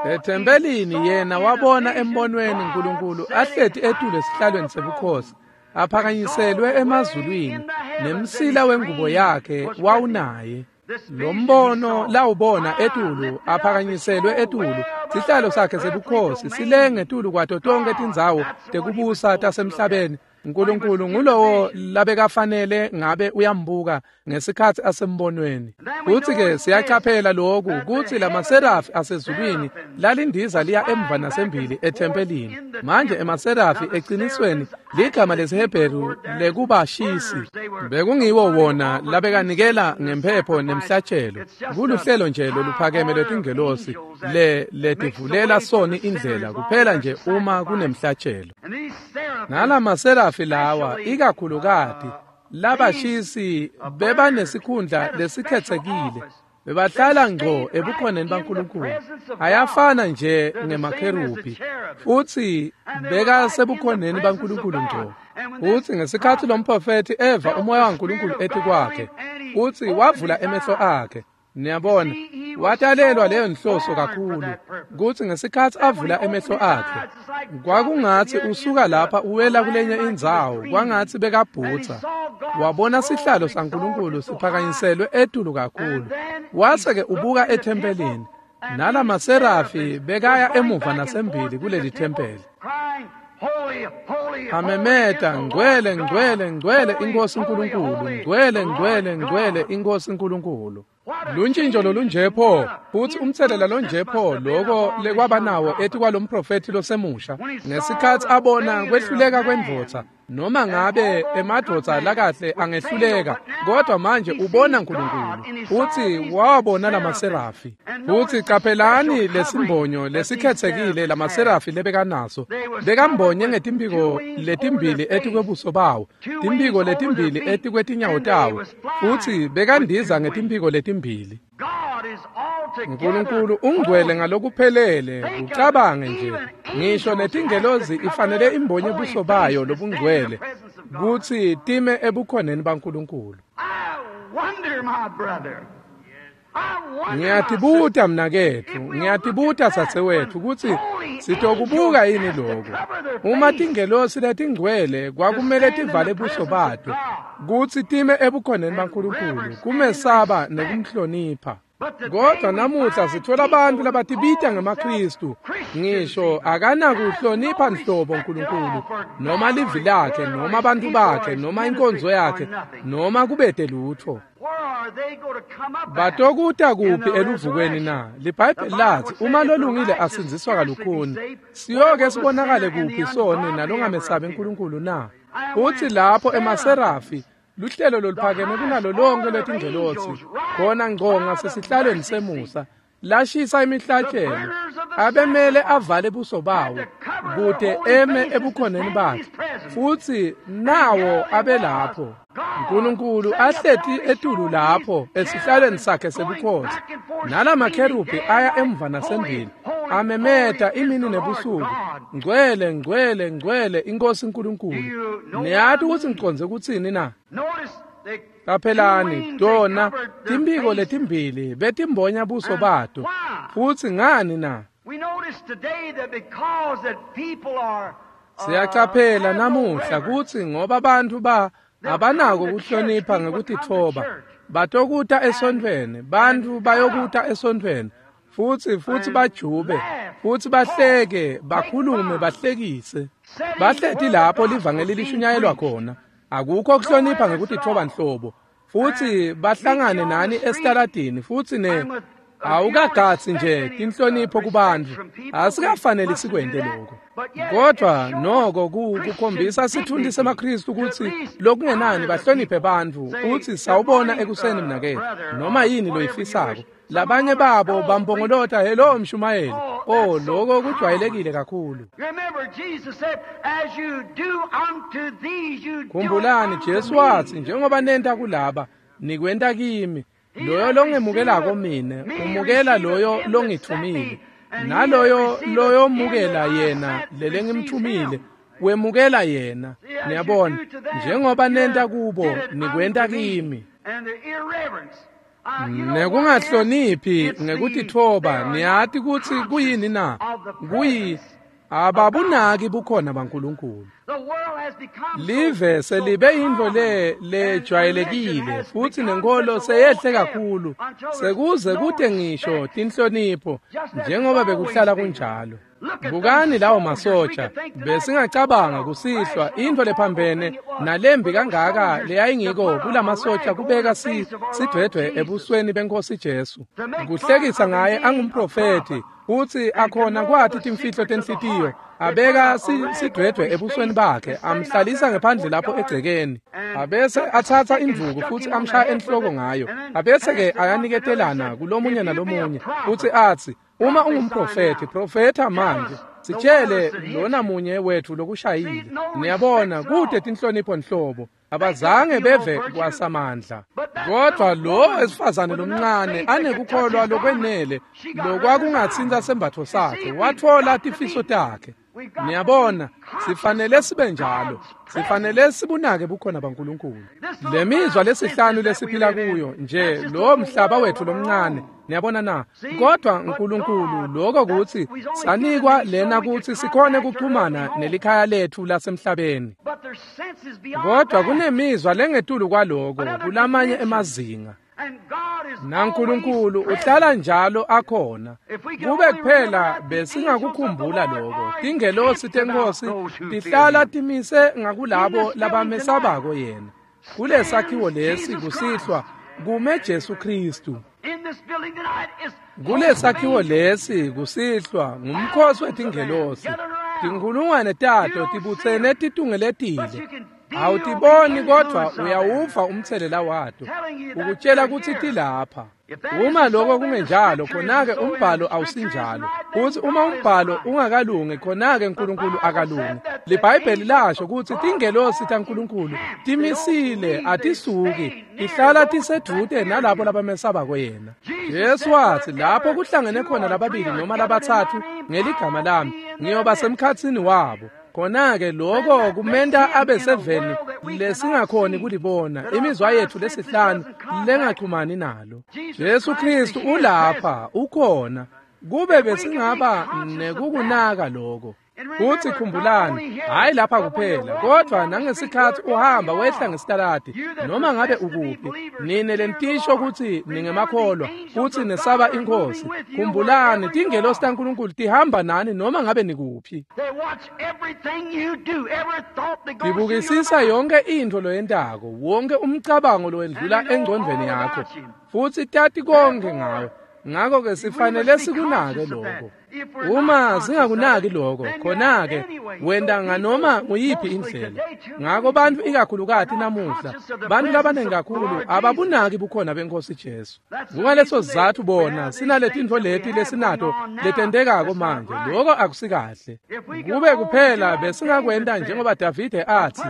Ethempelini yena wabona embonweni Nkulunkulu ahleti etulu esihlalweni sebukhosi, aphakanyiselwe emazulwini, nemsila wengubo yakhe wawunaye. Lo mbono lawubona etulu aphakanyiselwe etulu, sihlalo sakhe sebukhosi silenge etulu kwato tonke tindzawo tekubusa tasemhlabeni. Nkulunkulu ngulowo labekafanele ngabe uyambuka ngesikhatsi asembonweni. Futsi-ke siyacaphela loku kutsi lamaserafi asezulwini lalindiza liya emva nasembili ethempelini. Manje emaserafi ecinisweni ligama lesiHebheru lekubashisi. Bekungiwo wona labekanikela ngemphepho nemhlatshelo. Kuluhlelo nje loluphakeme lwetingelosi letivulela soni indlela kuphela nje uma kunemhlatshelo. Nalamaserafi lawa ikakhulukati labashisi bebanesikhundla lesikhetsekile, bebahlala ngco ebukhoneni baNkulunkulu. Ayafana nje ngemakherubhi futsi bekasebukhoneni baNkulunkulu ngco. Futsi ngesikhatsi lomprofethi eva umoya waNkulunkulu etikwakhe, futsi wavula emehlo akhe. Niyabona, watalelwa leyo nhloso kakhulu kutsi ngesikhatsi avula emehlo akhe kwakungatsi usuka lapha uwela kulenye indzawo, kwangatsi bekabhutsa. Wabona sihlalo saNkulunkulu siphakanyiselwe etulu kakhulu. Wase-ke ubuka ethempelini, nalamaserafi bekaya emuva nasembili kuleli thempeli, amemeta, ngcwele, ngcwele, ngcwele iNkosi Nkulunkulu, ngcwele, ngcwele, ngcwele iNkosi Nkulunkulu. Luntshintsho lolunje pho, futsi umtselela lonje pho loko lekwaba nawo etikwalomprofethi losemusha ngesikhatsi abona kwehluleka kwendvodza. Noma ngabe emadvodza lakahle angehluleka, kodwa manje ubona Nkulunkulu futsi wawabona lamaserafi. Futsi caphelani lesimbonyo lesikhetsekile lamaserafi lebekanaso. Bekambonye ngetimphiko letimbili etikwebuso bawo, timphiko letimbili etikwetinyawo tawo, futsi bekandiza ngetimphiko letimbili. Nkulunkulu ungcwele ngalokuphelele. Ucabange nje, ngisho netingelozi ifanele imbonye buso bayo lobungcwele kutsi time ebukhoneni baNkulunkulu. Ngiyatibuta mnaketfu, ngiyatibuta dzadzewetfu kutsi sitokubuka yini lokho. Uma tingelosi letingcwele kwakumele tivale buso bato kutsi time ebukhoneni baNkulunkulu, kumesaba nekumhlonipha. Kodwa namuhla sithola abantu labatibita ngemaKristu, ngisho akanakuhlonipha nhlobo uNkulunkulu, noma livi lakhe, noma abantu bakhe, noma inkonzo yakhe, noma kubede lutho. Batokuta kuphi eluvukweni na? LiBhayibheli lathi uma lolungile asindziswa kalukhuni, siyoke sibonakale kuphi soni nalongamesabi uNkulunkulu na? Uthi lapho emaserafi, luhlelo loluphakeme kunalo lonke lwetingelosi, khona ngco ngasesihlalweni semusa, lashisa imihlatshelo, abemele avale buso bawo kute eme ebukhoneni bakhe, futsi nawo abelapho. uNkulunkulu ahleti etulu lapho esihlalweni sakhe sebukhosi, nalamakherubhi aya emva nasembili, amemeta imini nebusuku, ngcwele, ngcwele, ngcwele inkosi uNkulunkulu. Niyati ukuthi ngicondze kutsini na? Qaphelani, tona timphiko letimbili betimbonya buso bato. Futsi ngani na? Siyacaphela namuhla kutsi ngoba bantfu abanako kuhlonipha ngekutitfoba, batokuta esontfweni, bantfu bayokuta esontfweni, futsi bajube, futsi bahleke, bakhulume, bahlekise. Bahleti lapho livangeli lishunyayelwa khona. Akukho kuhlonipha ngekutitfoba nhlobo. Futsi bahlangane nani esitaladini, futsi ne awukagatsi nje tinhlonipho kubantfu. Asikafaneli sikwente lokho. Kodwa noko kukhombisa sitfunti semaKristu kutsi lokungenani bahloniphe bantfu, utsi sawubona ekuseni mnaketfu, noma yini loyifisako. Labanye babo bampongolota, hello mshumayeli. Oh, lokho kujwayelekile kakhulu. Khumbulani, Jesu watsi njengoba nenta kulaba, nikwenta kimi. Loyo longemukelako mine, umukela loyo longithumile. Naloyo loyomukela yena lelengimthumile, wemukela yena. Niyabona, njengoba nenta kubo, nikwenta kimi. Nekungahloniphi ngekutitfoba, niyati kutsi kuyini na? Kuyi ababunaki bukhona baNkulunkulu. Live selibe yintfo lejwayelekile, futsi nenkolo seyehle kakhulu, sekuze kute ngisho tinhlonipho njengoba bekuhlala kunjalo. Bukani lawo masotsha, besingacabanga kusihlwa intfo lephambene nalembi kangaka leyayingiko kulamasotsha kubeka sidwedwe ebusweni benkosi Jesu. Kuhlekisa ngaye angumprofethi, futsi akhona kwati timfihlo tenhlitiyo, abeka sidwedwe ebusweni bakhe, amhlalisa ngephandle lapho egcekeni. Abese atsatsa indvuku futsi amshaya enhloko ngayo. Abese-ke ayaniketelana kulomunye nalomunye, futsi atsi, uma ungumprofethi, profetha manje, sitshele lona munye wethu lokushayile. Niyabona, kute tinhlonipho nhlobo. Abazange beve kwasamandla. Kodwa lo wesifazane lomncane anekukholwa lokwenele lokwakungatsinta sembatfo sakhe, watfola tifiso takhe. Niyabona, sifanele sibe njalo. Sifanele sibunake bukhona baNkulunkulu. Lemizwa lesihlanu lesiphila kuyo nje lo mhlaba wethu lomncane. Niyabona na? Kodwa uNkulunkulu lokho kutsi sanikwa lena kutsi sikhone kuxhumana nelikhaya lethu lasemhlabeni. Kodwa kunemizwa lengetulu kwaloko kulamanye emazinga. NaNkulunkulu uhlala njalo akhona. Kube kuphela besingakukhumbula lokho. Tingelosi tenkosi tihlala timise ngakulabo labamesabako yena. Kulesakhiwo lesi kusihlwa kume Jesu Kristu. Kulesakhiwo lesi kusihlwa ngumkhosi wetingelosi. Tinkhulungwane tato tibutsene titungeletile. Awutiboni kodwa uyawuva umthelela wato, ukutshela kutsi tilapha. Uma lokho kungenjalo, khona-ke umbhalo awusinjalo. Futsi uma umbhalo ungakalungi, khona-ke uNkulunkulu akalungi. LiBhayibheli lasho kutsi tingelosi taNkulunkulu timisile, atisuki, tihlala tisedvute nalabo labamesabako yena. Jesu watsi lapho kuhlangene khona lababili noma labatsatfu ngeligama lami, ngiyoba semkhatsini wabo. Khona-ke lokho kumenta abe seveni lesingakhoni kulibona, imizwa yethu lesihlanu lengachumani nalo. Jesu Kristu ulapha, ukhona. Kube besingaba nekukunaka lokho. Futhi khumbulani, hhayi lapha kuphela, kodwa nangesikhathi uhamba wehla ngesitaladi, noma ngabe ukuphi, nine lentisho kutsi ningemakholwa, futsi nesaba iNkhosi. Khumbulani, tingelosi taNkulunkulu tihamba nani noma ngabe nikuphi. Tibukisisa yonke intfo loyentako, wonke umcabango lowendlula engcondvweni yakho, futsi tati konke ngawe. Ngakho-ke sifanele sikunake lokho. Uma singakunaki lokho, khona-ke wenta nganoma nguyiphi indlela. Ngakho bantfu ikakhulukati namuhla, bantfu labanengi kakhulu ababunaki bukhona beNkhosi Jesu. Kungaleso sizatfu bona sinaletintfo leti lesinato letentekako manje. Lokho akusikahle. Kube kuphela besingakwenta njengoba Davide athi,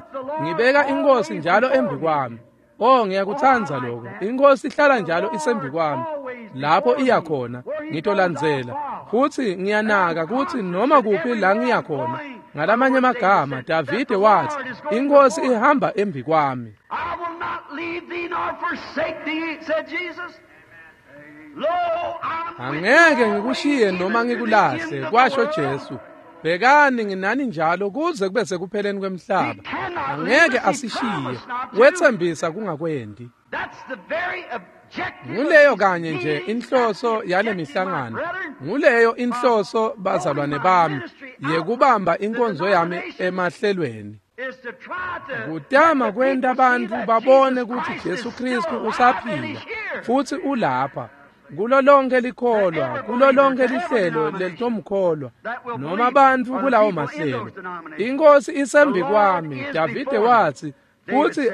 ngibeka iNkhosi njalo embi kwami. Oh, ngiyakutsandza lokho. INkhosi ihlala njalo isembi kwami. Lapho iya khona, ngitolandzela. Futsi ngiyanaka kutsi noma kuphi la ngiya khona. Ngalamanye amagama, Davide wathi, iNkhosi ihamba embi kwami. I will not leave thee nor forsake thee, said Jesus. Lo, I'm with Angeke you ngikushiye always, noma even to the ngikulahle, end of the kwasho world. Jesu. Bhekani nginani njalo kuze kube sekupheleni kwemhlaba. Angeke asishiye. Wetsembisa kungakwendi. That's the very objective Nguleyo of kanye these nje meetings. inhloso That's the yale objective, my mihlangano. brethren. Nguleyo inhloso bazalwane bami yekubamba inkonzo yami emahlelweni. Is to try to Kutama let the kwenta people see bantfu that babone Jesus kutsi Christ Jesu is Kristu still alive and usaphila is here. futsi ulapha. Kulo lonke likholwa, kulo lonke lihlelo lelitomkholwa, noma bantfu kulawo mahlelo. INkhosi isembi kwami, Davide watsi, futsi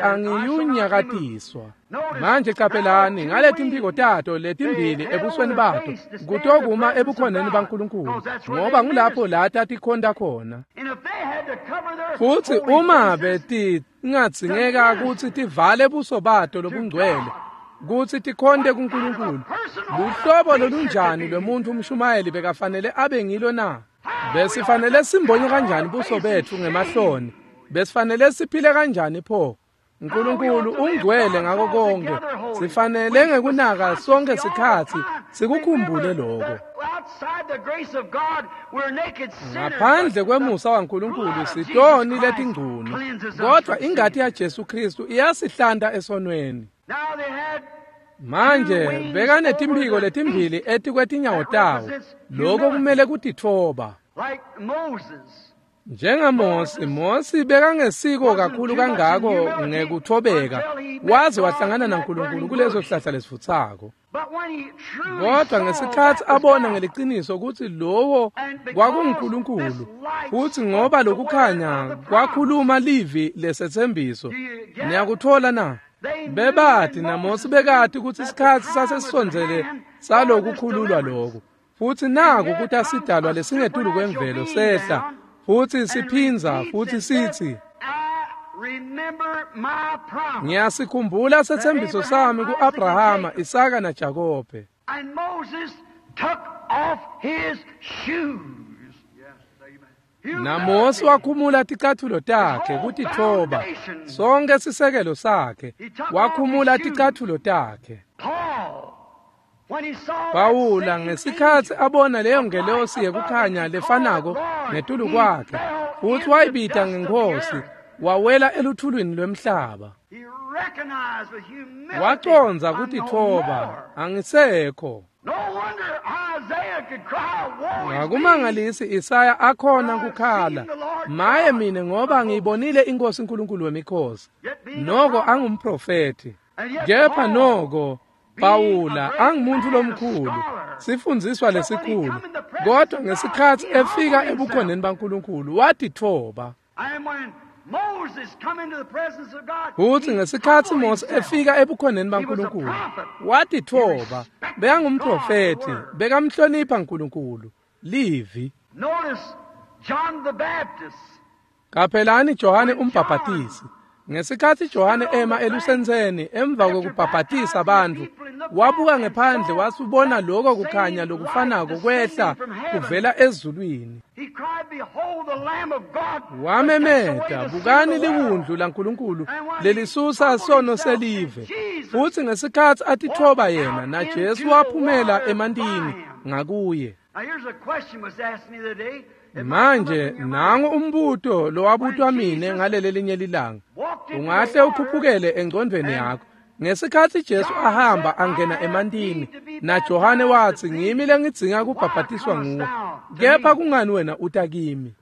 angiyunyakatiswa. Manje caphelani ngaletimphiko tato letimbili ebusweni bato, kutokuma ebukhoneni baNkulunkulu, ngoba ngulapho la tatikhonta khona. And if they had to cover their Futsi holy uma faces, betingadzingeka kutsi tivale buso bato lobungcwele, kutsi tikhonte kuNkulunkulu, luhlobo lolunjani lwemuntfu umshumayeli bekafanele abe ngilo na? Besifanele simbonye kanjani buso betfu ngemahloni? Besifanele siphile kanjani pho? uNkulunkulu ungcwele ngako konke. Sifanele ngekunaka sonke sikhatsi sikukhumbule lokho. Outside the grace of God, we're naked sinners. Ngaphandle kwemusa waNkulunkulu sitoni letingcunu, kodwa ingati yaJesu Kristu iyasihlanta esonweni. Now they had Manje bekanetimphiko letimbili etikwetinyawo tawo, lokho kumele kutitfoba. like Moses. NjengaMosi, Mosi bekangesiko kakhulu kangako ngekuthobeka, waze wahlangana naNkulunkulu kuleso sihlahla lesivutsako. But when he truly Kodwa saw ngesikhatsi that was abona God, ngeliciniso kutsi lowo kwakunguNkulunkulu, futsi ngoba lokukhanya kwakhuluma livi lesetsembiso, niyakutfola na? Bebati naMosi bekati kutsi isikhatsi sasesisondzele salokukhululwa loku. Futsi naku kuthi asidalwa lesingetulu kwemvelo sehla, futsi siphindza futhi sithi, I remember my promise. ngiyasikhumbula setsembiso sami ku-Abrahama, Isaka naJakobe. And Moses took off his shoes. NaMosi wakhumula ticatfulo takhe kutitfoba, sonke sisekelo sakhe, wakhumula ticatfulo takhe. Paul, when he saw that Pawula same ngesikhatsi angel abona leyo ngelosi yekukhanya lefanako ngetulu kwakhe, futhi wayibita ngeNkhosi, wawela eluthulwini lwemhlaba. He recognized with humility, Wacondza "I'm no kutitfoba, more." angisekho. No wonder Isaiah could cry, "Woe is me." Akumangalisi Isaya akhona kukhala, maye mina ngoba ngiyibonile iNkosi uNkulunkulu wemikhosi. Noko angumprofethi. Kepha noko Pawula angumuntu lomkhulu, sifundziswa lesikhulu. Kodwa ngesikhatsi efika ebukhoneni baNkulunkulu watitfoba. And when Moses come into the presence of God, Futsi he ngesikhatsi humbled Mose himself. efika ebukhoneni baNkulunkulu, watitfoba, bekangumprofethi, bekamhlonipha uNkulunkulu. Livi. Notice John the Baptist. Qaphelani Johane umbhaphatisi. Ngesikhatsi Johane ema elusentseni emva kwekubhabhatisa bantfu, wabuka ngephandle wasubona lokho kukhanya lokufanako kwehla kuvela ezulwini. Wamemeta, bukani liwundlu laNkulunkulu lelisusa sono selive. Futsi ngesikhatsi atitfoba yena naJesu waphumela emantini ngakuye. Manje nangu umbuto lowabutwa mine ngalelelinye lilanga. Ungahle ukhuphukele engcondvweni yakho. Ngesikhatsi Jesu ahamba angena emantini naJohane watsi ngimi lengidzinga kubhabhatiswa nguwe, kepha kungani wena uta kimi?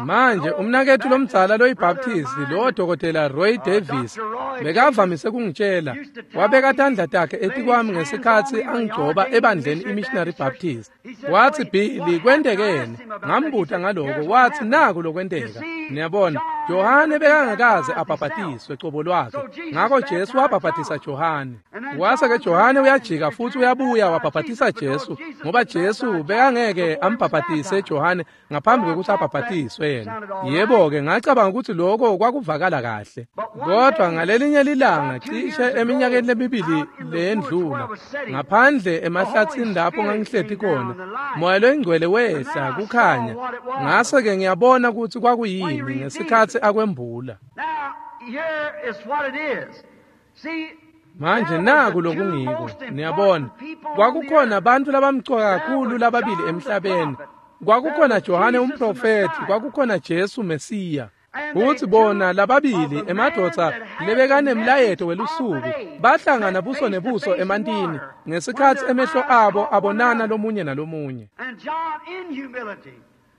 Manje umnaketfu lomdzala loyibaptisti lowo Dr. Roy Davis bekavamise kungitshela, wabeka tandla takhe etikwami ngesikhatsi angigcoba ebandleni iMissionary Baptist. Watsi, Billy, kwentekeni? Ngambuta ngaloko, watsi naku lokwenteka. Niyabona, Johane bekangakaze abhabhatiswe cobo lwakhe, ngako Jesu wabhabhatisa Johane. Wase-ke Johane uyajika futhi uyabuya wabhabhatisa Jesu, ngoba Jesu bekangeke ambhabhatise Johane ngaphambi kwekutsi abhabhatiswe yena. Yebo-ke, ngacabanga ukuthi lokho kwakuvakala kahle. Kodwa ngalelinye lilanga, cishe eminyakeni lemibili leyendlula, ngaphandle emahlatsini lapho ngangihleti khona, Moya loyiNgcwele wehla kukhanya. Ngase-ke ngiyabona ukuthi kwakuyini ngesikhatsi akwembula. Manje naku lokungiko, niyabona, kwakukhona bantfu labamcoka kakhulu lababili emhlabeni. Kwakukhona Johane umprofethi, kwakukhona Jesu Mesiya. Futsi bona lababili emadvodza lebekanemlayeto welusuku bahlangana buso nebuso emantini ngesikhatsi emehlo abo abonana lomunye nalomunye.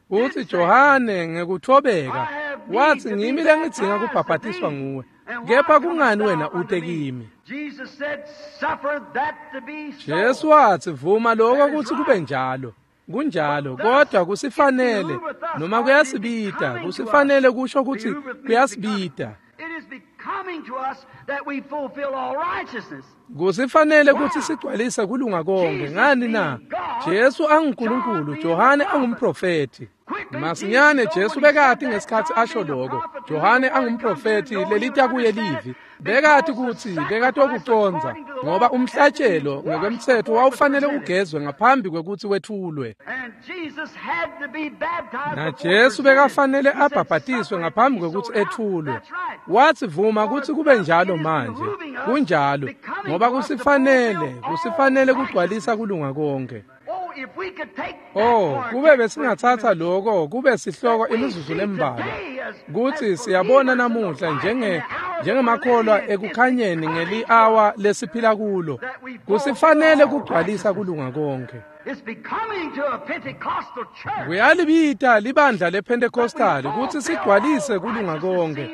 Futsi Johane ngekuthobeka watsi ngimi lengidzinga kubhabhatiswa nguwe, kepha kungani wena ute kimi? Jesu watsi vuma lokho kutsi kube njalo. Kunjalo, kodwa kusifanele noma kuyasibita, kusifanele kusho kutsi kuyasibita. Kusifanele kutsi sigcwalise kulunga konke. Ngani na? Jesu anguNkulunkulu, Johane angumprofethi. Masinyane Jesu bekati ngesikhatsi asho lokho. Johane angumprofethi lelita kuye livi. Bekati kutsi bekatokucondza ngoba umhlatshelo ngekwemtsetfo wawufanele ugezwe ngaphambi kwekutsi wethulwe. NaJesu bekafanele abhabhatiswe ngaphambi kwekutsi ethulwe. Watsi vuma kutsi kube njalo manje. Kunjalo, ngoba kusifanele kugcwalisa kulunga konke. Oh, kube besingatsatsa lokho kube sihloko imizuzu lembalwa, kutsi siyabona namuhla njengemakholwa ekukhanyeni ngeli-awa lesiphila kulo, kusifanele kugcwalisa kulunga konke. Kuyalibita libandla lePentecostal kutsi sigcwalise kulunga konke.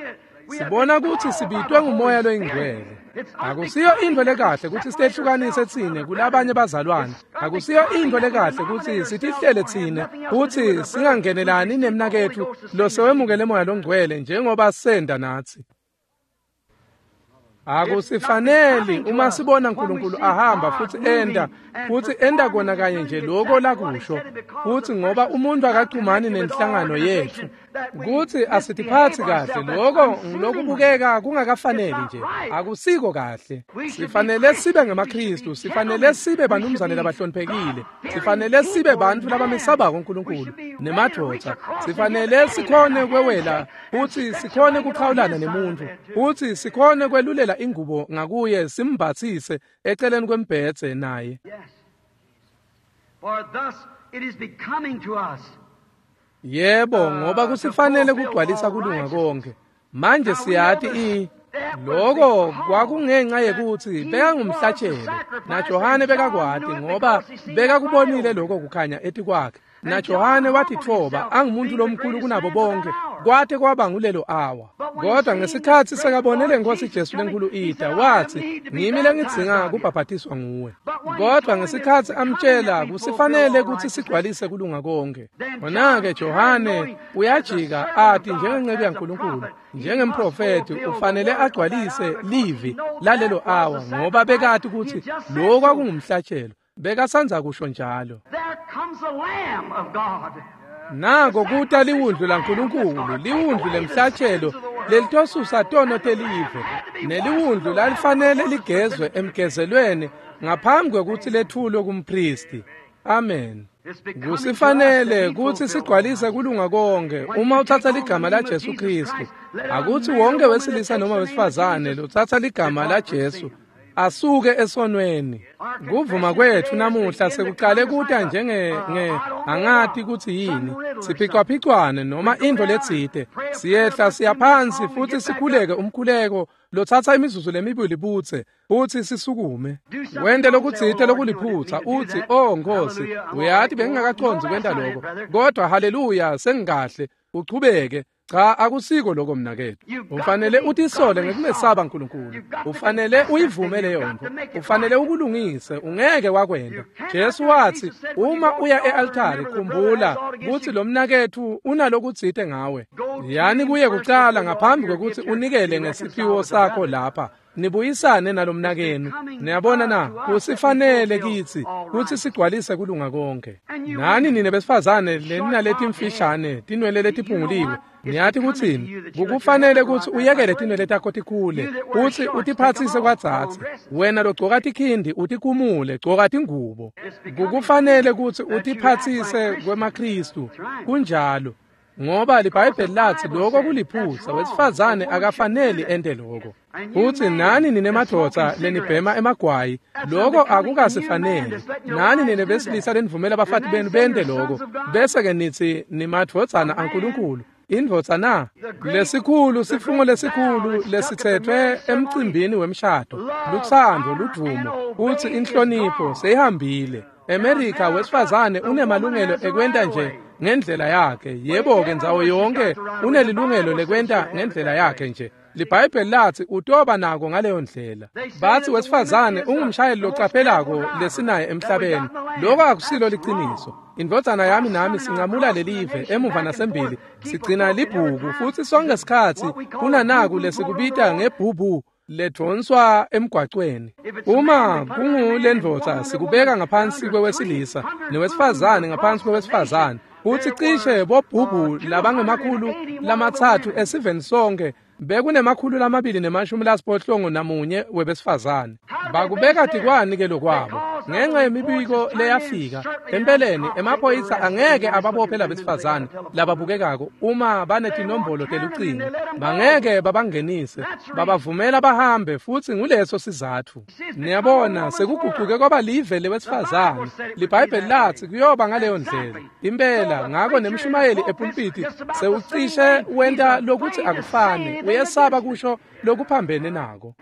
Sibona kutsi sibitwe nguMoya loyiNgcwele. Akusiyo intfo lekahle kutsi sitehlukanise tsine kulabanye bazalwane. Akusiyo intfo lekahle kutsi sitihlele tsine kutsi singangenelani nemnaketfu losewemukele Moya loNgcwele njengoba senda natsi. Akusifaneli uma sibona uNkulunkulu ahamba futhi enda kona kanye nje lokho lakusho, futhi ngoba umuntu akachumani nenhlangano yethu kutsi asitiphatsi kahle, lokho ngilokubukeka kungakafaneli nje, akusiko kahle. Sifanele sibe ngemaKristu, sifanele sibe banumzane labahloniphekile, sifanele sibe bantfu labamesabako uNkulunkulu nemadvodza, sifanele sikhone kwewela futhi sikhone kuchawulana nemuntu, futhi sikhone kwelulela ingubo ngakuye simbathise eceleni kwembhedze naye. Yebo, ngoba kusifanele kugcwalisa kulunga konke. Manje siyati lokho kwakungenxa yekutsi bekangumhlatshelo, naJohane bekakwati ngoba bekakubonile lokho kukhanya etikwakhe. NaJohane watitfoba angumuntu lomkhulu kunabo bonke kwate kwaba ngulelo awa. Kodwa ngesikhatsi sekabone lenkosi Jesu lenkulu ita, watsi ngimi lengidzinga kubhabhatiswa nguwe. Kodwa ngesikhatsi amtshela kusifanele kutsi sigcwalise kulunga konke, khona-ke Johane uyajika ati njengenceku yaNkulunkulu, njengemprofethi ufanele agcwalise livi lalelo awa, ngoba bekati kutsi lokho kwakungumhlatshelo. Bekasandza kusho njalo. Nako kuta liwundlu laNkulunkulu, liwundlu lemhlatshelo lelitosusa tono telive, neliwundlu lalifanele ligezwe emgezelweni ngaphambi kwekutsi lethulwe kumpristi. Amen. Kusifanele kutsi sigcwalise kulunga konke uma utsatsa ligama laJesu Kristu. Akutsi wonke wesilisa noma wesifazane lotsatsa ligama laJesu asuke esonweni. Kuvuma kwetfu namuhla sekuqale kuta njenge angati kutsi yini, siphicwaphicwane noma intfo letsite. Siyehla siyaphansi futhi sikhuleke umkhuleko lotsatsa imizuzu lemibili butse futhi sisukume. Wente lokutsite lokuliphutsa utsi, "Oh Nkosi, uyati bengingakacondzi kwenta lokho, kodwa haleluya sengikahle." Uchubeke. Cha, akusiko lokho mnaketfu. Ufanele utisole ngekumesaba uNkulunkulu. Ufanele uyivume leyo nto. Ufanele ukulungise, ungeke wakwenta. Jesu watsi, uma uya e-altari khumbula kutsi lo mnaketfu unalokutsite ngawe. Yani kuye kucala ngaphambi kwekutsi unikele ngesiphiwo sakho lapha. Nibuyisane nalomnakenu. Niyabona na, kusifanele kitsi kutsi sigcwalise kulunga konke. Nani nine besifazane leninaletimfishane tinwele letiphunguliwe, niyati kutsini? Kukufanele kutsi uyekele tinwele takho tikhule, kutsi utiphatsise kwadzadze. Wena logcoka tikhindi utikhumule, gcoka tingubo. Kukufanele kutsi utiphatsise kwemaKristu. Kunjalo. Ngoba liBhayibheli lathi lokho kuliphutsa, wesifazane akafaneli ente lokho. Futhi nani ninemadvodza lenibhema emagwayi, lokho akukasifaneli. Nani nine besilisa lenivumela abafati benu bente lokho, bese-ke nithi nimadvodzana aNkulunkulu. Indvodza na? Lesikhulu, sifungo lesikhulu lesithethwe emcimbini wemshado, lutsandvo, ludvumo, futhi inhlonipho seyihambile. America wesifazane unemalungelo ekwenta nje ngendlela yakhe. Yebo-ke ndzawo yonke unelilungelo lekwenta ngendlela yakhe nje. LiBhayibheli lathi utoba nako ngaleyo ndlela. Bathi wesifazane ungumshayeli locaphelako lesinaye emhlabeni. Lokho akusilo liciniso. Indvodzana yami nami sincamula lelive emuva nasembili, sigcina libhuku futhi sonke sikhatsi kunanaku lesikubita ngebhubhu ledvonswa emgwacweni. Uma kungulendvodza sikubeka ngaphansi kwewesilisa newesifazane ngaphansi kwewesifazane. Futhi cishe bobhubhu labangemakhulu 3 esiveni sonke bekunemakhulu 281 webesifazane. Bakubeka tikwani ke lokwabo ngenxa yemibiko leyafika. Empeleni emaphoyisa angeke ababophe labesifazane lababukekako uma banetinombolo telucingo. Bangeke babangenise, babavumela bahambe, futhi nguleso sizatfu. Niyabona, sekuguquke kwaba live lewesifazane. LiBhayibheli lathi kuyoba ngaleyo ndlela. Impela, ngako nemshumayeli epulpiti sewucishe wenta lokuthi akufani, uyesaba kusho lokuphambene nako.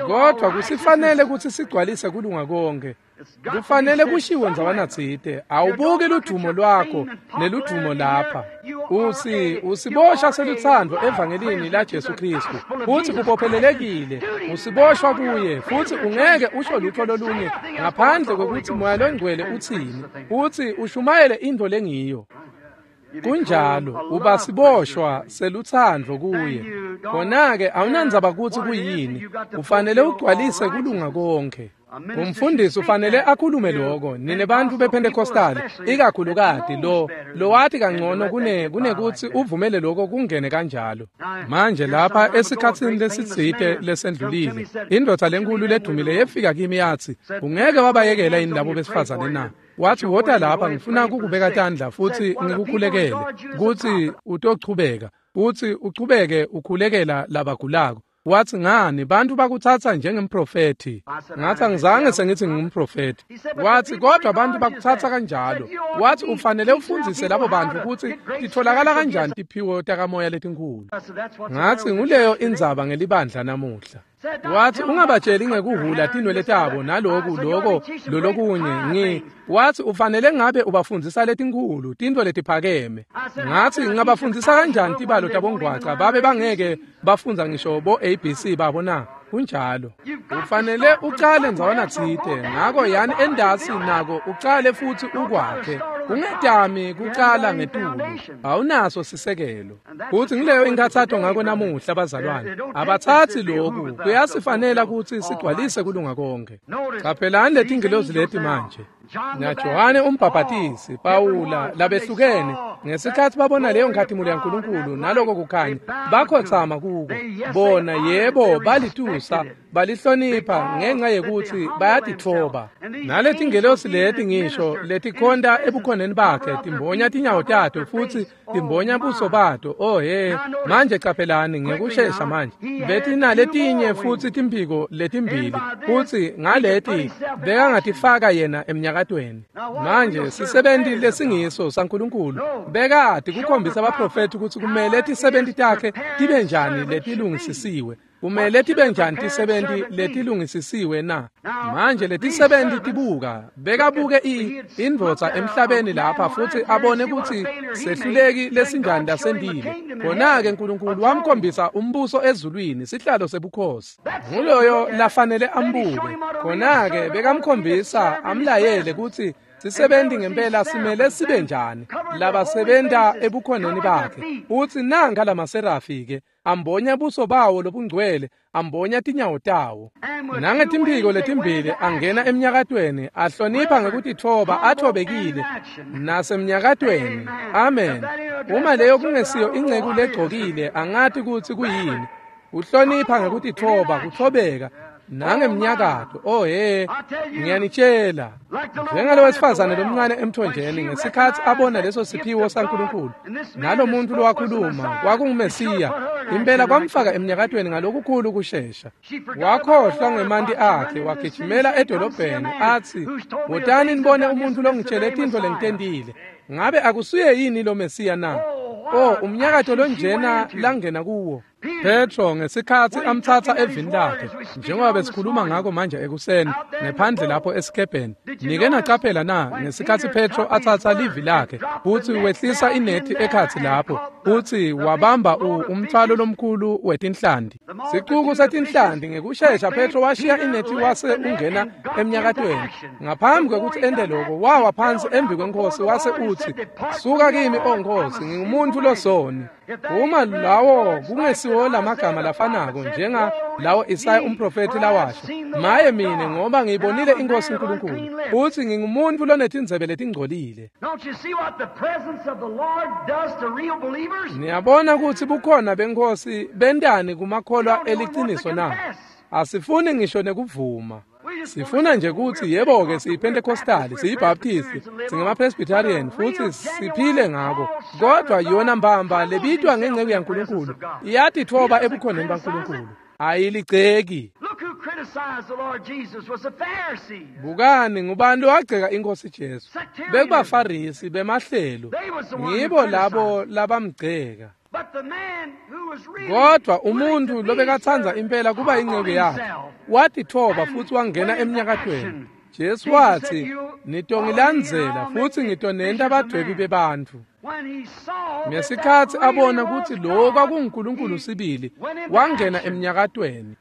Kodwa kusifanele kutsi sigcwalise kulunga konke. Kufanele kushiwo ndzawanatsite, awubuki ludumo lwakho neludumo lapha. Usi usiboshwa selutsandvo evangelini laJesu Kristu, futhi ubophelelekile, usiboshwa kuye, futhi ungeke usho lutho lolunye ngaphandle kwekutsi Moya Longcwele utsini, uthi ushumayele intfo lengiyo. Kunjalo, uba siboshwa selutsandvo kuye. Khona-ke awunandzaba kutsi kuyini, ufanele ugcwalise kulunga konke. Umfundisi ufanele akhulume lokho. Nine bantfu bePentecostal, ikakhulukati lo lowati kangcono kunekutsi uvumele lokho kungene kanjalo. Manje lapha esikhatsini lesitsite lesendlulile, indvodza lenkulu ledumile yefika kimi yatsi, "Ungeke wabayekela yini labo besifazane na?" Wathi, "Wota lapha, ngifuna kukubeka tandla futhi ngikukhulekele kutsi utochubeka, utsi uchubeke ukhulekela labagulako." Wathi, "Ngani bantu bakutsatsa njengemprofethi?" Ngathi, "Angizange sengithi ngingumprofethi." Wathi, "Kodwa abantu bakutsatsa kanjalo." Wathi, "Ufanele ufundzise labo bantu kutsi titfolakala kanjani tiphiwo takamoya letinkhulu." Ngathi, "Nguleyo indzaba ngelibandla namuhla." Wathi, "Ungabatsheli ngekuhula tinwele tabo naloku loko lolokunye." Wathi, "Ufanele ngabe ubafundzisa letinkhulu tintfo letiphakeme." Ngathi, "Ngingabafundzisa kanjani tibalo tabongwaca babe bangeke bafundza ngisho bo ABC babo na?" Kunjalo. Ufanele ucale ndzawanatsite, ngako yani endasi nako ucale futhi ukwakhe. Ungetami kucala ngetulu, awunaso sisekelo. Futhi ngileyo inkathato ngako namuhla bazalwane. Abathatsi lokhu, kuyasifanela kutsi sigcwalise kulunga konke. Caphelani letingilozi leti manje. NaJohane umbhabhatisi, Pawula, labehlukene, ngesikhatsi babona leyo nkhatimulo yaNkulunkulu naloko kukhanya, bakhotsama kuko. Bona, yebo, balitusa, balihlonipha ngenxa yekuthi bayatitfoba. Naletingelosi leti ngisho letikhonta ebukhoneni bakhe timbonya tinyawo tato futsi timbonya buso bato. Oh he, manje caphelani ngekushesha manje. Betinaletinye futsi timphiko letimbili, futsi ngaleti bekangatifaka yena emnyakatweni. Manje sisebenti lesingiso saNkulunkulu bekati kukhombisa abaprofethi ukuthi kumele tisebenti takhe tibe njani letilungisisiwe. Kumele tibe njani tisebenti letilungisisiwe na? Manje letisebenti tibuka, bekabuke indvodza emhlabeni lapha futsi abone ukuthi sehluleki lesinjani lasendile. Khona-ke Nkulunkulu wamkhombisa umbuso ezulwini, sihlalo sebukhosi. Nguloyo lafanele ambuke. Khona-ke bekamkhombisa amlayele ukuthi sisebenti ngempela simele sibe njani labasebenta ebukhoneni bakhe. Uthi nanka lamaserafi ke ambonya buso bawo lobungcwele, ambonya tinyawo tawo. Nangetimphiko letimbili angena emnyakatweni, ahlonipha ngekutitfoba, athobekile nasemnyakatweni. Amen. Uma leyo kungesiyo inceku legcokile, angati kutsi kuyini. Uhlonipha ngekutitfoba, kuthobeka nangemnyakato. Oh he, ngiyanitshela, njengalo wesifazane lomncane emthonjeni ngesikhatsi abona leso siphiwo saNkulunkulu nalomuntu lowakhuluma kwakunguMesiya, impela kwamfaka emnyakatweni ngalokukhulu kushesha. Wakhohlwa ngemanti akhe, wagijimela edolobheni athi, "Wotani nibone umuntu longitshele tintfo lengitentile. Ngabe akusuye yini lo Mesiya na?" Oh, umnyakato lonjena langena kuwo. Petro ngesikhatsi amtsatsa evini lakhe, njengoba besikhuluma ngako manje ekuseni, ngephandle lapho esikebheni. Nike nacaphela na ngesikhatsi Petro atsatsa livi lakhe, futsi wehlisa inethi ekhatsi lapho, futsi wabamba umthwalo lomkhulu wetinhlanti. Sicuku setinhlanti ngekushesha Petro washiya inethi wase ungena emnyakatweni. Ngaphambi kwekutsi ente loko, wawa phansi embi kweNkhosi wase utsi, "Suka kimi, O Nkhosi, ngingumuntu losoni." Uma lawo kungesiwo lamagama lafanako njenga lawo Isaya umprofethi lawasho, "Maye mine, ngoba ngiyibonile iNkosi uNkulunkulu, futhi ngingumuntu lonetindzebe letingcolile." Niyabona ukuthi bukhona beNkhosi bentani kumakholwa eliciniso na? Asifuni ngisho nekuvuma. Sifuna nje ukuthi yebo-ke siyiPentecostal, siyiBaptist, singama-Presbyterian futhi siphile ngako. Kodwa yona mbamba lebitwa ngenceku yaNkulunkulu iyatitfoba ebukhoneni baNkulunkulu, ayiligceki. Bukani, ngubani lowagceka iNkosi Jesu? Bekubafarisi bemahlelo, ngibo labo labamgceka. Kodwa umuntu lobekatsanza impela kuba inceku yakhe watitfoba futhi wangena emnyakatweni. Jesu wathi, "Nitongilandzela futhi ngitonenta badwebi bebantfu." Ngesikhatsi abona kutsi lo kwakunguNkulunkulu sibili, wangena emnyakatweni.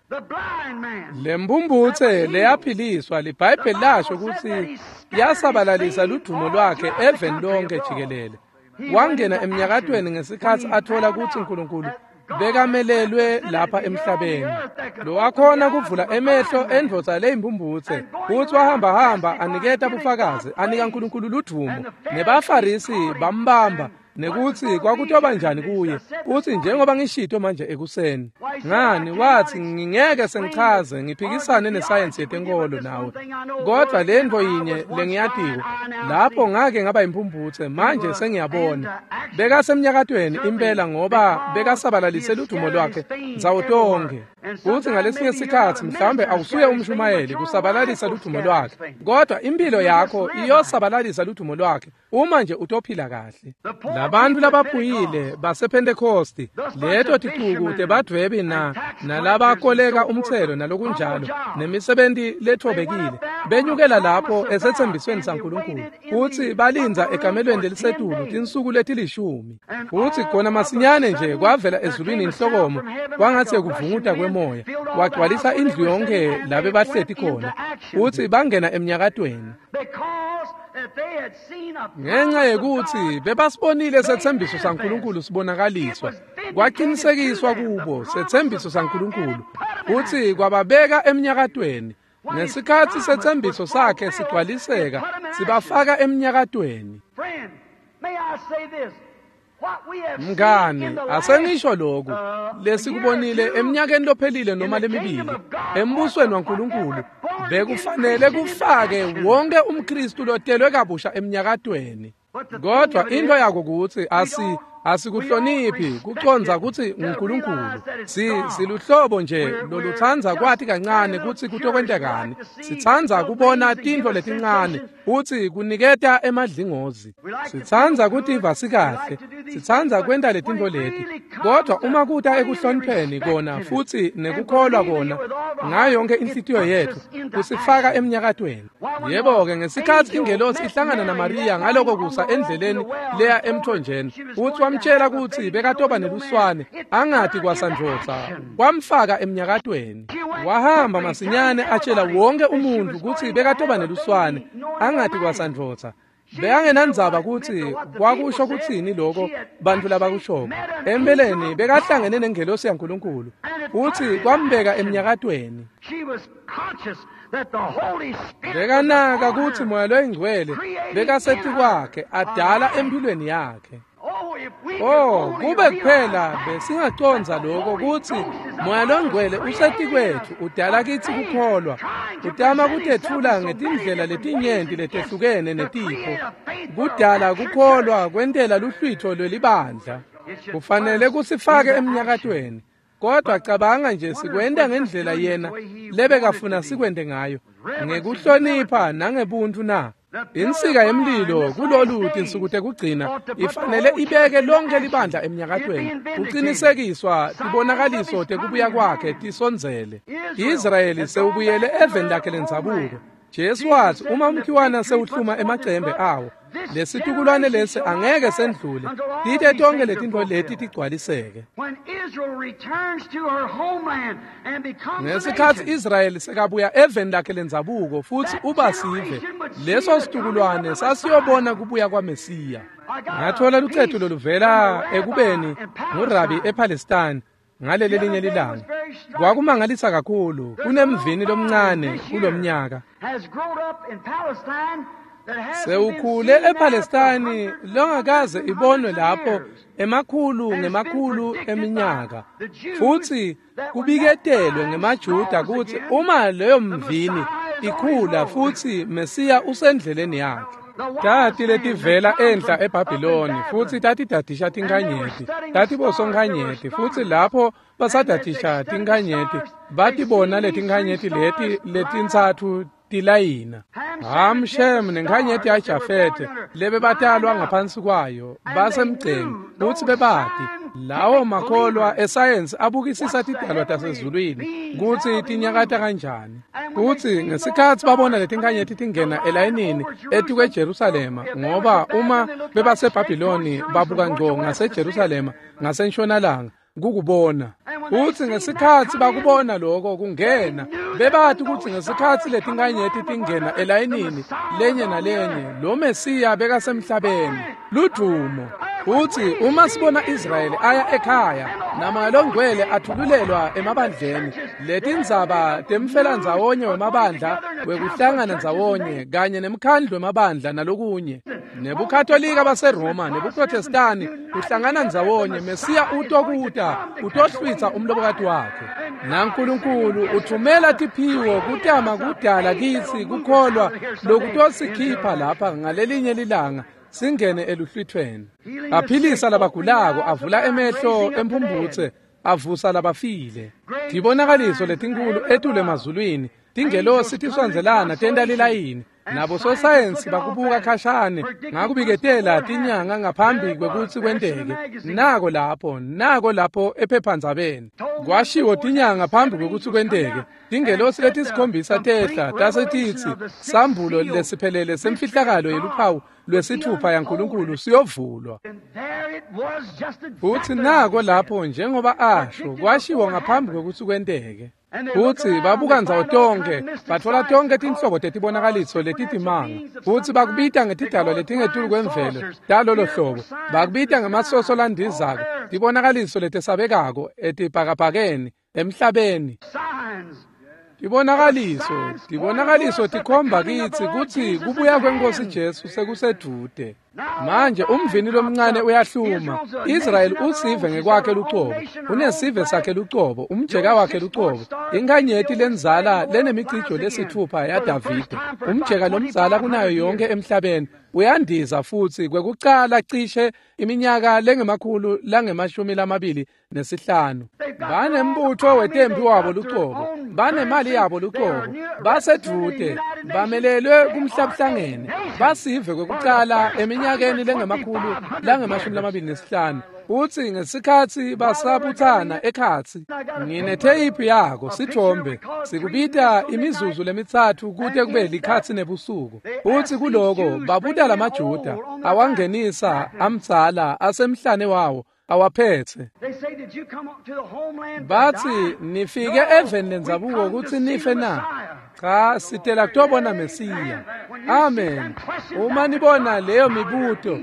Lembumbutse leyaphiliswa, liBhayibheli lasho kutsi yasabalalisa ludumo lwakhe eveni lonke jikelele. Wangena emnyakatweni ngesikhatsi athola kutsi uNkulunkulu bekamelelwe lapha emhlabeni. Lowakhona kuvula emehlo endvodza leyimbumbutse, futsi wahamba-hamba aniketa bufakazi, anika uNkulunkulu ludumo. Nebafarisi bambamba nekutsi kwakutoba njani kuye, futsi njengoba ngishito manje ekuseni. Ngani, wathi, "Ngingeke sengichaze ngiphikisane nesayensi yetenkolo nawe, kodwa lentfo yinye lengiyatiko, lapho ngake ngaba imphumphutse, manje sengiyabona." Bekasemnyakatweni impela ngoba bekasabalalise ludumo lwakhe ndzawo tonkhe. Futsi ngalesinye sikhatsi mhlawumbe awusuye umshumayeli kusabalalisa ludumo lwakhe, kodwa impilo yakho iyosabalalisa ludumo lwakhe uma nje utophila kahle. Labantu labaphuyile basePentecosti, leto ticuku tebadvwebi nalabakoleka umtselo nalokunjalo, nemisebenti lethobekile, benyukela lapho esetsembisweni saNkulunkulu, futsi balindza ekamelweni lelisetulu tinsuku letilishumi. Futsi khona masinyane nje kwavela ezulwini inhlokomo kwangatsi kuvunguta kwemoya, wagcwalisa indlu yonke labe bahleti khona, futsi bangena emnyakatweni. Ngenxa yekuthi bebasibonile setsembiso saNkulunkulu sibonakaliswa, kwaqinisekiswa kubo setsembiso saNkulunkulu, futsi kwababeka emnyakatweni. Ngesikhatsi setsembiso sakhe sigcwaliseka, sibafaka emnyakatweni. Mngani, asengisho lokhu lesikubonile eminyakeni lophelile noma lemibili embusweni waNkulunkulu, bekufanele kufake wonke umKristu lotelwe kabusha emnyakatweni. Kodwa into yako kutsi asikuhloniphi kucondza kutsi nguNkulunkulu. Siluhlobo nje lolutsandza kwati kancane kutsi kutokwentekani. Sitsandza kubona tintfo letincane futsi kuniketa emadlingozi. Sitsandza kutiva sikahle, sitsandza kwenta letintfo leti. Kodwa uma kuta ekuhlonipheni kona futsi nekukholwa kona ngayo yonke inhlitiyo yetfu, kusifaka emnyakatweni. Yebo-ke, ngesikhatsi ingelosi ihlangana naMariya ngaloko kusa endleleni leya emthonjeni, utsi wamtshela kutsi bekatoba neluswane angati kwasandvodza, kwamfaka emnyakatweni. Wahamba masinyane atshela wonke umuntfu kutsi bekatoba neluswane angati kwasandvodza. Bekangenandzaba kutsi kwakusho kutsini loko bantfu labakushoko. Empeleni bekahlangene nengelosi yaNkulunkulu futsi kwambeka emnyakatweni. Bekanaka kutsi Moya loyiNgcwele bekasetikwakhe adala emphilweni yakhe. Oh, kube kuphela besingacondza lokho kutsi Moya loNgcwele usetikwetfu udala kitsi kukholwa, utama kutetfula ngetindlela letinyenti letehlukene netipho, kudala kukholwa kwentela luhlwitho lwelibandla. Kufanele kusifake emnyakatweni. Kodwa cabanga nje sikwenta ngendlela yena lebekafuna sikwente ngayo, ngekuhlonipha nangebuntfu na. Insika yemlilo kulolu tinsuku tekugcina ifanele ibeke lonke libandla emnyakatweni, kucinisekiswa tibonakaliso tekubuya kwakhe tisondzele. Israyeli sewubuyele eveni lakhe lendzabuko. Jesu watsi uma umkhiwana sewuhluma emacembe awo, lesitukulwane lesi angeke sendlule tite tonke letintfo leti tigcwaliseke. Ngesikhatsi Israyeli sekabuya eveni lakhe lendzabuko futsi uba sive, leso situkulwane sasiyobona kubuya kwaMesiya. Ngathola lucetu loluvela ekubeni ngurabi ePalestine ngaleli linye lilanga. Kwakumangalisa kakhulu, kunemvini lomncane kulomnyaka sewukhule ePalestine longakaze ibonwe lapho emakhulu ngemakhulu eminyaka, futsi kubiketelwe ngemaJuda kutsi uma leyo mvini ikhula futsi Mesiya usendleleni yakhe. Tati letivela enhla eBhabhiloni futsi tatidadisha tinkhanyeti, tatibosonkanyeti, futsi lapho basadadisha tinkhanyeti batibona letinkhanyeti leti letintsatfu tilayina. Ham, Shem nenkhanyeti yaJafete lebebatalwa ngaphansi kwayo basemgceni kutsi bebati. Lawo makholwa esayensi abukisisa tidalwa tasezulwini kutsi tinyakata kanjani, kutsi ngesikhatsi babona letinkhanyeti tingena elayinini etikweJerusalema, ngoba uma bebaseBhabhiloni babuka ngco ngaseJerusalema ngasentshonalanga kukubona. Futsi ngesikhatsi bakubona lokho kungena, bebati kutsi ngesikhatsi letinkhanyeti tingena elayinini lenye nalenye, lo Mesiya bekasemhlabeni. Ludumo. Futsi uma sibona Israyeli aya ekhaya naMoya loNgcwele athululelwa emabandleni, letindzaba temfelandzawonye wemabandla wekuhlangana ndzawonye kanye nemkhandlu wemabandla nalokunye, nebuKatolika baseRoma nebuProtestani kuhlangana ndzawonye, Mesiya utokuta utohlwitsa umlobokati wakhe. NaNkulunkulu uthumela tiphiwo kutama kudala kitsi kukholwa lokutosikhipha lapha ngalelinye lilanga singene eluhlwithweni. Aphilisa labagulako, avula emehlo emphumbutse, avusa labafile. Tibonakaliso letinkulu etulu emazulwini, tingelosi tisondzelana tenta lilayini. Nabo sosayensi bakubuka khashane ngakubiketela tinyanga ngaphambi kwekutsi kwenteke. Nako lapho ephephandzabeni kwashiwo tinyanga phambi kwekutsi kwenteke. Tingelosi letisikhombisa tehla tase titsi sambulo lesiphelele semfihlakalo yeluphawu lwesithupha yaNkulunkulu siyovulwa. Futsi nako lapho njengoba asho kwashiwo ngaphambi kwekutsi kwenteke. Futsi babuka ndzawo tonke, batfola tonke tinhlobo tetibonakaliso letitimanga, futsi bakubita ngetidalwa letingetulu kwemvelo talolo hlobo, bakubita ngemasoso landizako, tibonakaliso letesabekako etibhakabhakeni emhlabeni. Tibonakaliso tikhomba kitsi kutsi kubuya kweNkosi Jesu sekusedvute. Manje umvini lomncane uyahluma. Israyeli usive ngekwakhe lucobo, unesive sakhe lucobo, umjeka wakhe lucobo, inkanyeti lenzala lenemicijo lesitfupha yaDavide, umjeka lomdzala kunayo yonke emhlabeni, uyandiza futsi kwekucala cishe iminyaka lengama-225. Banembutfo wetempi wabo lucobo, banemali yabo lucobo, basedvute, bamelelwe kumhlabuhlangene, basive kwekucala eminyakeni lengama-225. Utsi ngesikhatsi basabutsana ekhatsi, nginetheyiphu yako sithombe sikubita imizuzu lemitsatfu kute kube likhatsi nebusuku. Utsi kuloko babuta lamaJuda awangenisa amdzala asemhlane wawo awaphethe. Batsi nifike eveni lendzabuko kutsi nife na? Cha, sitela kutobona Mesiya. Amen. Uma nibona leyo mibuto,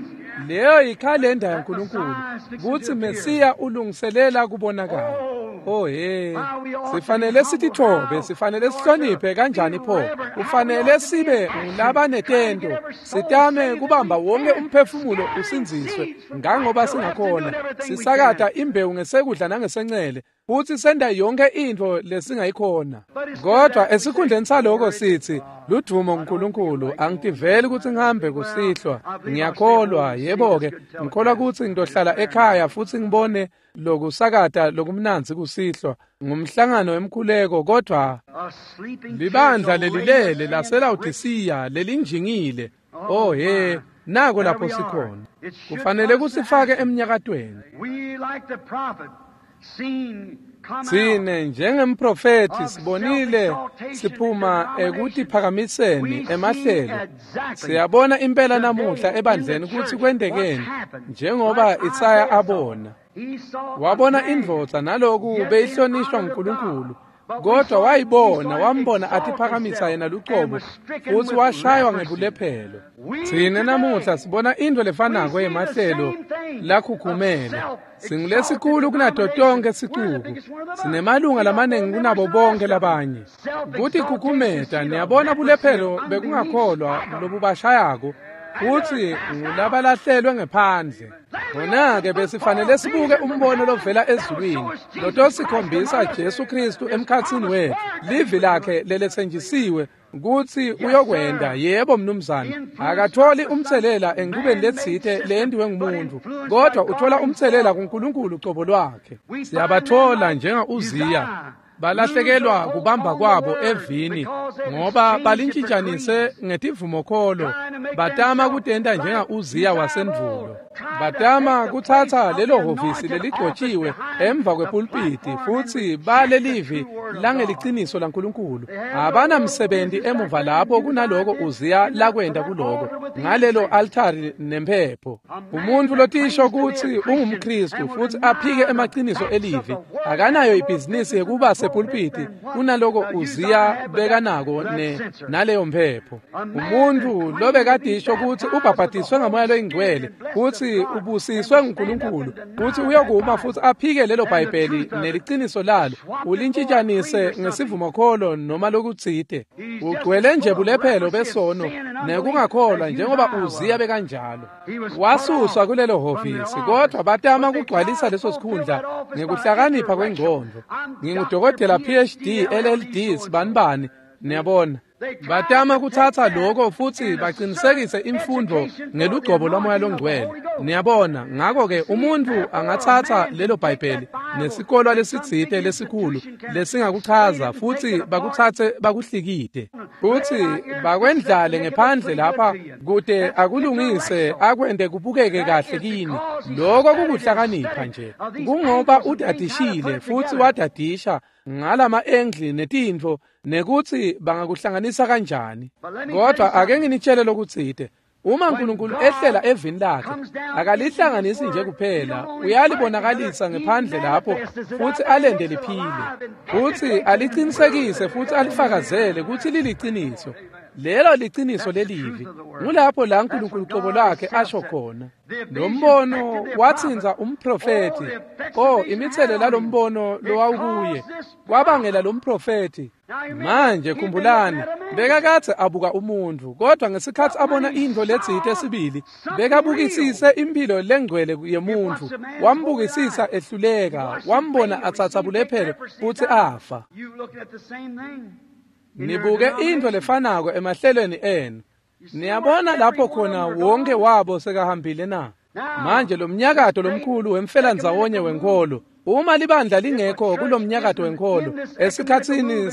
leyo yikhalenda yaNkulunkulu kutsi Mesiya ulungiselela kubonakala. Oh he, sifanele sitithobe, sifanele sihloniphe kanjani pho? Kufanele sibe ngulabanetento, sitame kubamba wonke umphefumulo usindziswe ngangoba singakhona, sisakata imbewu ngesekudla nangesencele, futsi senta yonke intfo lesingayikhona. Kodwa esikhundleni saloko sithi ludvumo kuNkulunkulu, angitiveli kutsi ngihambe kusihlwa, ngiyakholwa, yebo-ke, ngikholwa kutsi ngitohlala ekhaya futsi ngibone lokusakata lokumnandzi kusihlwa ngumhlangano wemkhuleko. Kodwa libandla lelilele laseLawodisiya lelinjingile, oh he, nako lapho sikhona. Kufanele kusifake emnyakatweni. Tsine njengemprofethi sibonile siphuma ekutiphakamiseni emahlelo. Siyabona impela namuhla ebandleni kutsi kwentekeni, njengoba Isaya abona. Wabona indvodza naloku beyihlonishwa nguNkulunkulu, kodwa wayibona, wambona atiphakamisa yena lucobo futsi washaywa ngebulephelo. Tsine namuhla sibona intfo lefanako yemahlelo lakhukhumele. Singulesikhulu kunato tonke sicuku, sinemalunga lamaningi kunabo bonke labanye. Kutikhukhumeta, niyabona bulephelo bekungakholwa lobubashayako, futsi ngulabalahlelwe ngephandle. Khona-ke besifanele sibuke umbono lovela ezulwini lotosikhombisa Jesu Kristu emkhatsini wetfu, livi lakhe leletsenjisiwe kutsi uyokwenta. Yebo mnumzane, akatholi umtselela enchubeni letsite leyentiwe ngumuntu, kodwa uthola umtselela kuNkulunkulu cobo lwakhe. Siyabathola njenga Uziya, balahlekelwa kubamba kwabo evini ngoba balintshintshanise ngetivumokholo, batama kutenta njenga Uziya wasendvulo. Batama kutsatsa lelo hhovisi leligcotshiwe emva kwepulpiti futsi bale livi langeliciniso laNkulunkulu. Abanamsebenzi emuva lapho kunaloko Uziya lakwenta kuloko ngalelo altari nemphepho. Umuntu lotisho kutsi ungumKristu futsi aphike emaciniso elivi akanayo ibhizinisi yekuba sepulpiti kunaloko Uziya bekanako naleyo mphepho. Umuntu lobekadisho kutsi ubhabhatiswe ngamoya loyingcwele kutsi ubusiswe nguNkulunkulu kutsi uyokuma futsi aphike lelo Bhayibheli neliciniso lalo, ulintshintshanise ngesivumokholo noma lokutsite. Ugcwele nje bulephelo besono nekungakholwa njengoba Uziya bekanjalo. Wasuswa kulelo hhovisi, kodwa batama kugcwalisa leso sikhundla ngekuhlakanipha kwengcondvo. Ngingudokotela PhD LLD sibanibani, niyabona. Batama kutsatsa lokho futsi baqinisekise imfundo ngelugcobo lwamoya longcwele. Niyabona, ngakho-ke umuntu angatsatsa lelo Bhayibheli nesikolwa lesitsite lesikhulu lesingakuchaza futsi bakutsatse bakuhlikite futsi bakwendlale ngephandle lapha kute akulungise akwente kubukeke kahle kini. Lokho kukuhlakanipha nje, kungoba udadishile futsi wadadisha ngalama engli netintfo nekutsi bangakuhlanganisa kanjani. Kodwa ake nginitshele lokutsite, uma uNkulunkulu ehlela evini lakhe akalihlanganisi nje kuphela, uyalibonakalisa ngephandle lapho futsi alende liphile futsi alicinisekise futsi alifakazele kutsi liliciniso. Lelo liciniso lelivi. Ngulapho la uNkulunkulu qobo lwakhe asho khona. Lo mbono watsinza umprofethi. Oh, imithelela lombono lowawukuye kwabangela lo mprofethi. Manje khumbulani, bekakadze abuka umuntu, kodwa ngesikhatsi abona intfo letsite sibili, bekabukisise impilo lengcwele yemuntu, wambukisisa ehluleka, wambona atsatsa bulephelo futsi afa. Nibuke intfo lefanako emahlelweni enu. Niyabona lapho khona wonke wabo sekahambile na? Manje lo mnyakato lomkhulu wemfelandzawonye wenkholo, uma libandla lingekho kulomnyakato wenkholo esikhatsini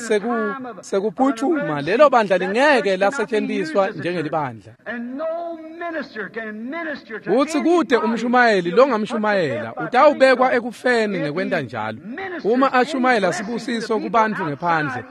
sekuphuthuma, lelo bandla lingeke lasetshenziswa njengelibandla. Futsi kute umshumayeli longamshumayela utawubekwa ekufeni ngekwenta njalo. Uma ashumayela sibusiso kubantfu ngephandle,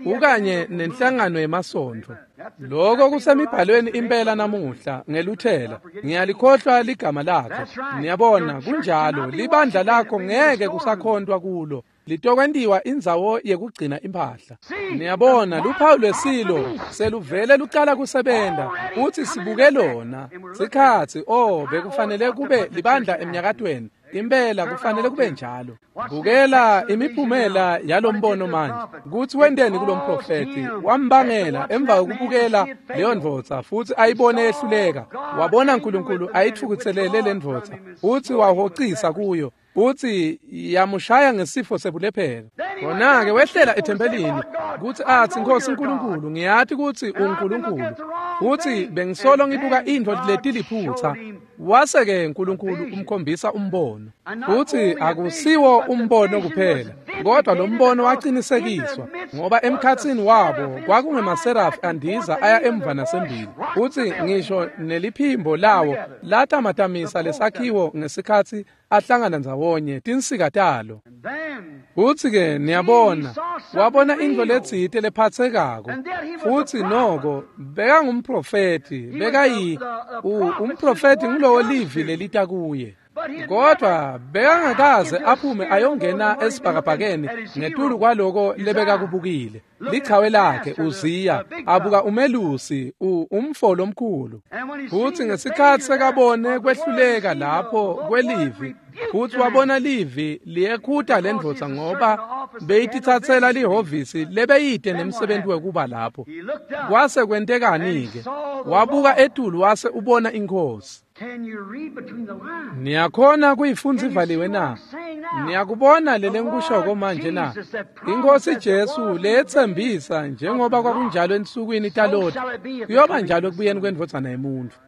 ukanye nenhlangano yemasontfo. Lokho kusemibhalweni impela namuhla ngeluthela. Ngiyalikhohlwa ligama lakhe. Niyabona, kunjalo, libandla lakho ngeke kusakhontwa kulo. Litokwentiwa indzawo yekugcina imphahla. Niyabona, luphawu lwesilo seluvele lucala kusebenta futsi sibuke lona. Sikhatsi, oh, bekufanele kube libandla emnyakatweni. Impela kufanele kube njalo. Bukela imiphumela yalombono manje. Kutsi wenteni kulomprofethi? Wambangela emva kokubukela leyo ndvodza futsi ayibone ehluleka. Wabona uNkulunkulu ayithukuthelele le ndvodza futsi wahocisa kuyo. Futsi yamushaya ngesifo sebulephelo. Khona-ke wehlela ethempelini kutsi atsi, Nkosi uNkulunkulu, ngiyati kutsi unguNkulunkulu, futsi bengisolo ngibuka intfo letiliphutsa. Wase-ke uNkulunkulu umkhombisa umbono. Futsi akusiwo umbono kuphela, kodwa lo mbono wacinisekiswa, ngoba emkhatsini wabo kwakungemaserafi andiza aya emva nasembili. Futsi ngisho neliphimbo lawo latamatamisa lesakhiwo ngesikhatsi ahlangana ndzawonye tinsika talo. Futsi-ke niyabona, wabona intfo letsite lephatsekako. Futsi noko bekangumprofethi, bekayi umprofethi ngulowo livi lelita kuye. Kodwa bekangakaze aphume ayongena esibhakabhakeni ngetulu kwaloko lebekakubukile. Lichawe lakhe Uziya abuka umelusi, umfo lomkhulu. Futsi ngesikhatsi sekabone kwehluleka lapho kwelivi, futsi wabona livi liyekhuta lendvodza ngoba beyititsatsela lihhovisi lebeyide nemsebenzi wekuba lapho. Kwase kwentekani-ke? Wabuka etulu wase ubona iNkhosi. Niyakhona kuyifundza ivaliwe na? Niyakubona lele ngikushoko manje na? Inkosi Jesu leyetsembisa njengoba kwakunjalo ensukwini taLoti, kuyoba njalo ekubuyeni kwendvodzana yemuntfu.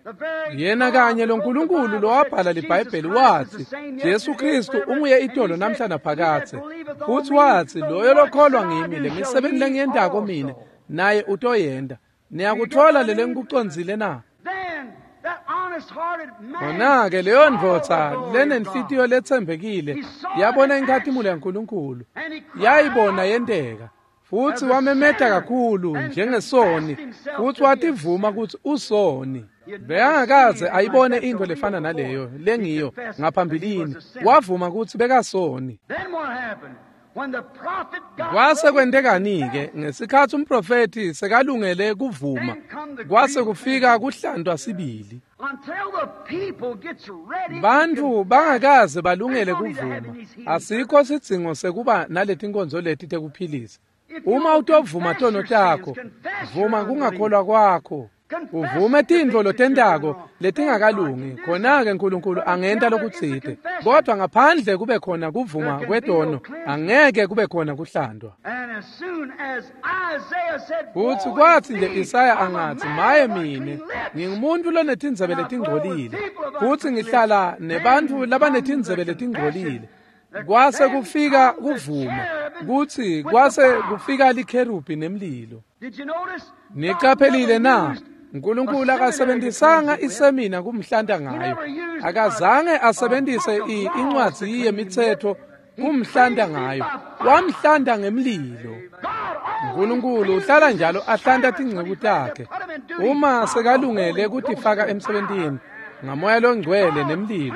Yena kanye lo Nkulunkulu lowabhala liBhayibheli watsi Jesu Kristu unguye itolo namhla naphakadze. Futsi watsi loyo lokholwa ngimi, lemisebenti lengiyentako mine naye utoyenta. Niyakuthola lele ngikucondzile na? Khona-ke leyo ndvodza lenenhlitiyo letsembekile yabona inkhatimulo yaNkulunkulu, yayibona yenteka. Futsi wamemeta kakhulu njengesoni, futsi wativuma kutsi usoni. Bekangakaze ayibone intfo lefana naleyo lengiyo ngaphambilini. Wavuma kutsi bekasoni. Kwase kwentekani-ke ngesikhatsi umprofethi sekalungele kuvuma, kwase kufika kuhlantwa sibili. Bantfu bangakaze balungele kuvuma. Asikho sidzingo sekuba naletinkonzo leti tekuphilisa. Uma utovuma tono takho, vuma kungakholwa kwakho, uvume tintfo lotentako letingakalungi, khona-ke Nkulunkulu angenta lokutsite. Kodwa ngaphandle kube khona kuvuma kwetono, angeke kube khona kuhlandwa. Futsi kwatsi nje Isaya angatsi, maye mine, ngingumuntu lonetindzebe letingcolile, futsi ngihlala nebantfu labanetindzebe letingcolile. Kwase kufika kuvuma, kutsi kwase kufika likherubhi nemlilo. Niqaphelile na? Nkulunkulu akasebenzisanga isemina kumhlanta ngayo. Akazange asebenzise incwadzi yemitsetfo kumhlanta ngayo. Wamhlanta ngemlilo. Nkulunkulu uhlala njalo ahlanta tinceku takhe. Uma sekalungele kutifaka emsebentini, ngamoya longcwele nemlilo.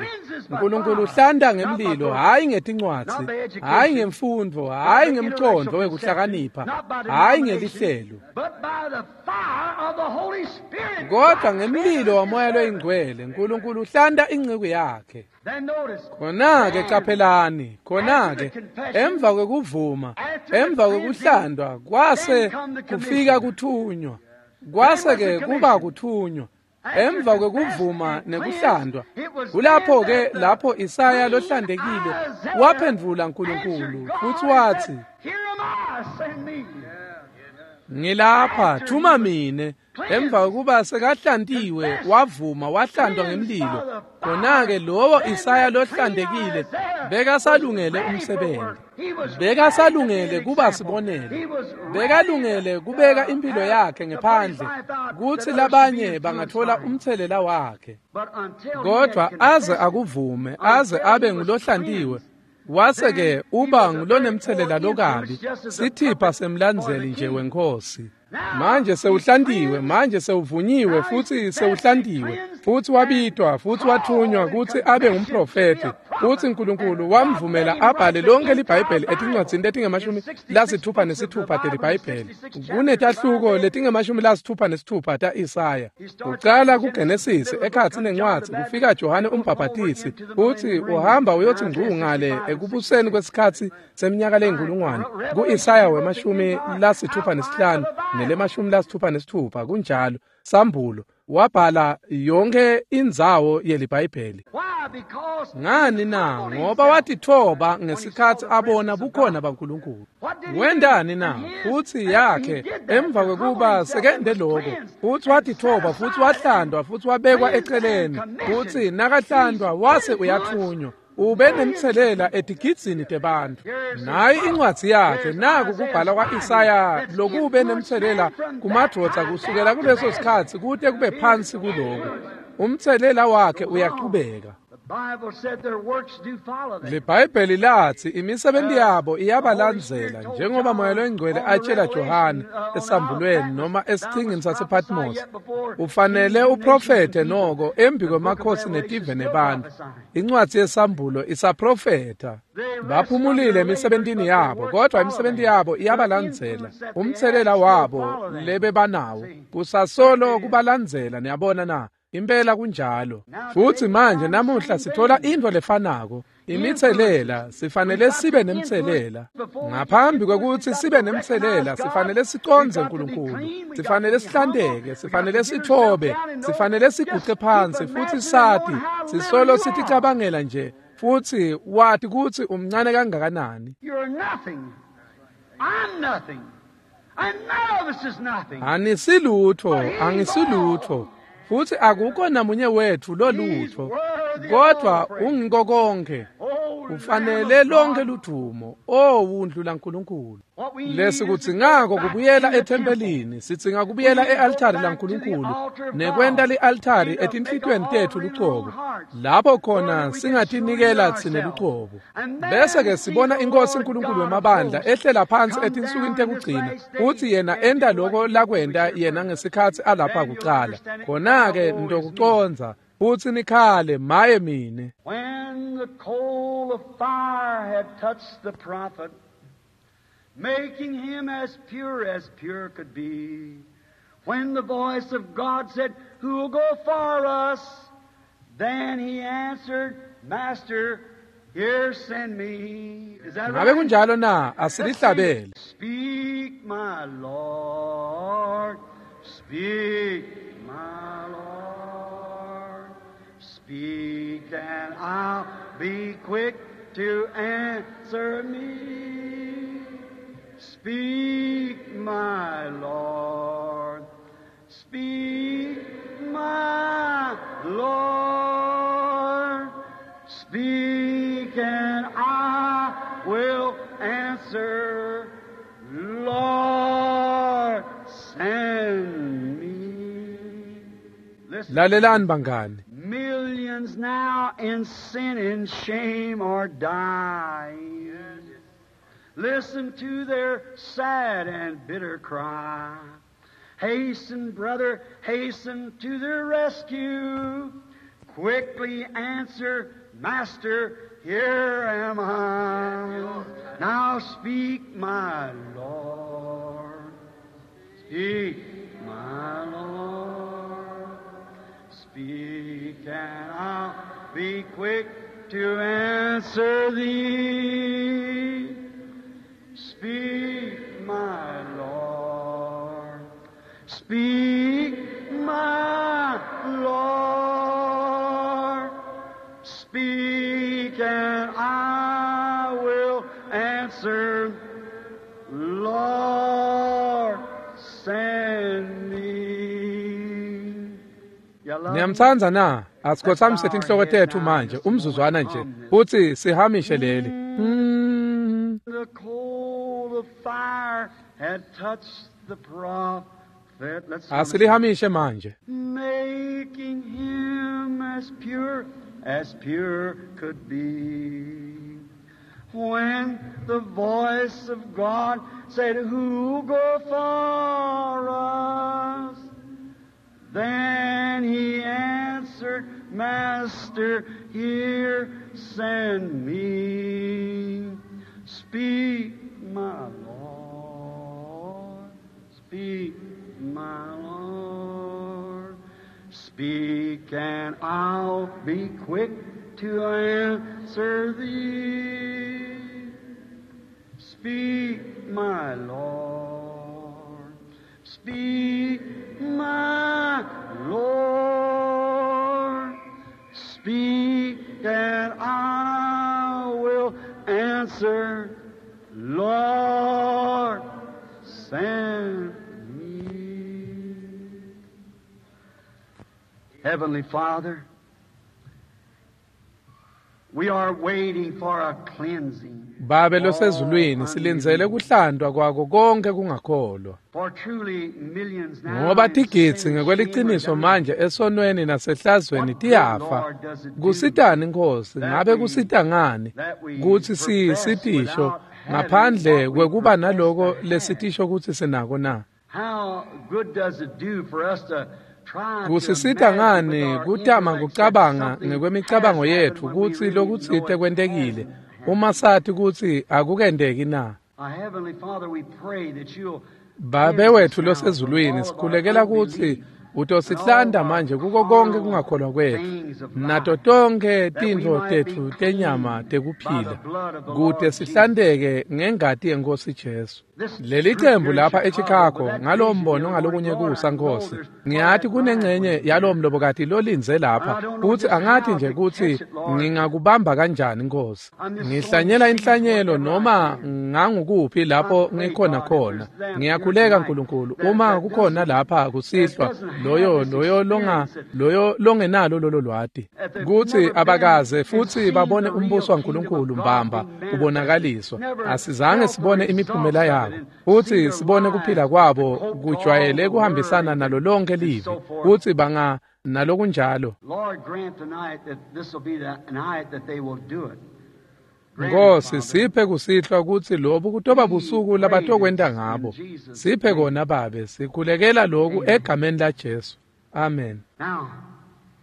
Nkulunkulu uhlanta ngemlilo, hhayi ngetincwadzi, hhayi ngemfundvo, hhayi ngemcondvo wekuhlakanipha, hhayi ngelihlelo, kodwa ngemlilo wamoya loyingcwele. Nkulunkulu uhlanta inceku yakhe. Khona-ke caphelani, khona-ke emva kwekuvuma, emva kwekuhlandwa, kwase kufika kuthunywa, kwase-ke kuba kuthunywa. Emva kwekuvuma nekuhlandwa, kulapho-ke lapho Isaya lohlantekile waphendvula Nkulunkulu futsi watsi, ngilapha, thuma mine. Emva kwekuba sekahlantiwe, wavuma, wahlandwa ngemlilo. Khona-ke lowo Isaya lohlantekile bekasalungele umsebenzi, bekasalungele kuba sibonelo, bekalungele kubeka impilo yakhe ngephandle kutsi labanye bangathola umthelela wakhe. Kodwa aze akuvume, aze abe ngulohlantiwe, wase-ke uba ngulonemthelela lokabi, sithipha semlandzeli nje wenkhosi. Manje sewuhlantiwe, manje sewuvunyiwe futsi sewuhlantiwe, futsi wabitwa futsi wathunywa kutsi abe ngumprofethi, futsi Nkulunkulu wamvumela abhale lonke liBhayibheli etincwadzini letingama-66 teliBhayibheli. Kunetahluko letingama-66 ta-Isaya. Ucala kuGenesisi ekhatsi nencwadzi kufika Johane umbhabhatisi, futsi uhamba uyotsi ngcu ngale ekubuseni kwesikhatsi seminyaka leyinkulungwane ku-Isaya wema-65 nele-66, kunjalo, Sambulo wabhala yonke indzawo yeliBhayibheli. Ngani na? Ngoba watitfoba ngesikhatsi abona bukhona baNkulunkulu. Wentani na? Futsi yakhe emva kwekuba sekende lokho, futsi watitfoba futsi wahlandwa futsi wabekwa eceleni, futsi nakahlandwa wase uyathunywa. Ube nemthelela etigidzini tebantfu. Nayi incwadzi yakhe, naku kubhala kwa-Isaya lokube nemthelela kumadvodza kusukela kuleso sikhatsi kute kube phansi kuloku. Umthelela wakhe uyaqhubeka. LiBhayibheli latsi imisebenti yabo iyabalandzela, njengoba Moya loyiNgcwele atjela Johane esambulweni noma esichingini sasePatmos, ufanele uprofethe noko embi kwemakhosi netive nebantfu. Incwadzi yesambulo isaprofetha. Baphumulile emisebentini yabo, kodwa imisebenti yabo iyabalandzela. Umthelela wabo lebebanawo kusasolo kubalandzela. Niyabona na? Impela kunjalo. Futsi manje namuhla sithola intfo lefanako, imithelela. Sifanele sibe nemthelela. Ngaphambi kwekutsi sibe nemthelela, sifanele sicondze Nkulunkulu, sifanele sihlanteke, sifanele sitfobe, sifanele siguce phansi futsi sati, sisolo siticabangela nje, futsi wati kutsi umncane kangakanani. Anisilutho, angisilutho, futsi akukho namunye wetfu lolutho, kodwa ungiko konke. Ufanele lonke ludumo, o wundlu laNkulunkulu. Lesikudzingako kubuyela ethempelini, sidzinga kubuyela e-altari laNkulunkulu nekwenta li-altari etinhlitiyweni tetfu lucobo, lapho khona singatinikela tsine lucobo. Bese-ke sibona iNkosi uNkulunkulu wemabandla ehlela phansi etinsukwini tekugcina, futsi yena enta loko lakwenta yena ngesikhatsi alapha kucala. Khona-ke nitokucondza futsi nikhale, maye mine. When the coal of fire had touched the prophet, making him as pure as pure could be, when the voice of God said, who'll go for us? Then he answered, Master, here send me. Is that Ngabe right? kunjalo na? Asilihlabele. Speak, my Lord. Speak, my Lord. Speak, and I'll be quick to answer me. Speak, my Lord. Speak, my Lord. Speak, and I will answer. Lord, send me. Listen. Lalelani bangani. Millions now in sin and shame are dying. Listen to their sad and bitter cry. Hasten, brother, hasten to their rescue. quickly answer, Master, here am I. Now speak, my Lord. Speak, my Lord. Speak, and I'll be quick to answer thee. Speak, my Lord. Speak, my Lord. Speak, and I will answer. Lord, send me. You love me? Niyamtsandza na? Asikhothamise tinhloko tetfu manje umzuzwana nje futsi sihamishe leli. The coal of fire had touched the prophet. Let's hum it. Asilihamishe manje. Making him as pure could be. When the voice of God said, Who go for us? Then he answered, Master, here send me. Speak, my Lord. Speak, my Lord. Speak, and I'll be quick to answer thee. Speak, my Lord. Speak, my Lord. Speak, and I will answer. Lord, send me. Heavenly Father, we are waiting for a cleansing. Babe losezulwini silindzele kuhlantwa kwako konke kungakholwa. For truly millions now Ngoba in tigidzi sin and shame are ngekweliciniso dying. manje esonweni nasehlazweni tiyafa. Kusitani Nkosi, ngabe kusita ngani kutsi sitisho ngaphandle kwekuba naloko lesitisho kutsi sinako na? How good does it do for us to try to Kusisita imagine ngani with our kutama intellects that kucabanga something ngekwemicabango has happened yetfu when we kutsi really know lokutsite it kwentekile hasn't happened? uma sati kutsi akukenteki na? Our Heavenly Father, we pray that you'll Babe cleanse us wetfu now from losezulwini all of our sikhulekela kutsi unbelief and all utosihlanta of our manje kuko konke carnal kungakholwa kwetfu things of nato life, tonkhe that we tintfo might be tetfu tenyama clean by the tekuphila blood of the kute Lord Jesus. sihlanteke ngengati yeNkosi Jesu. This Leli group cembu here in lapha Chicago, eChicago with that ngalowo vision the mbono other morning, ngalokunye Lord, kusa I know Nkosi. there's part of Ngiyati that bride kunengcenye waiting yalowo here. mlobokati lolindze And I lapha don't know kutsi just angati how nje to kutsi catch it, Lord. ngingakubamba kanjani Nkosi. I'm just sowing Ngihlanyela seeds inhlanyelo wherever I noma can. ngangukuphi I lapho pray, ngikhona God, if khona. there's them here Ngiyakhuleka tonight Nkulunkulu that, uma that kukhona doesn't lapha that kusihlwa doesn't have loyo this loyo longa experience that loyo longenalo lolo lwati that they've kutsi never been abakaze and futhi seen babone the real umbuso kingdom of waNkulunkulu God mbamba being manifested, ubonakaliswa never asizange felt the sibone imiphumela results of it yako and see futhi their sibone kuphila lives kwabo cope to all kujwayele the kuhambisana worry nalo lonke and livi so forth. kutsi banga nalokunjalo. Lord, grant tonight that this will be the night that they will do it. Grant it, Nkosi Father. siphe kusihlwa kutsi lobu kutoba We busuku pray labatokwenta this in ngabo. Jesus' Siphe name. kona Babe, sikhulekela loku Amen. egameni laJesu. Amen. Now,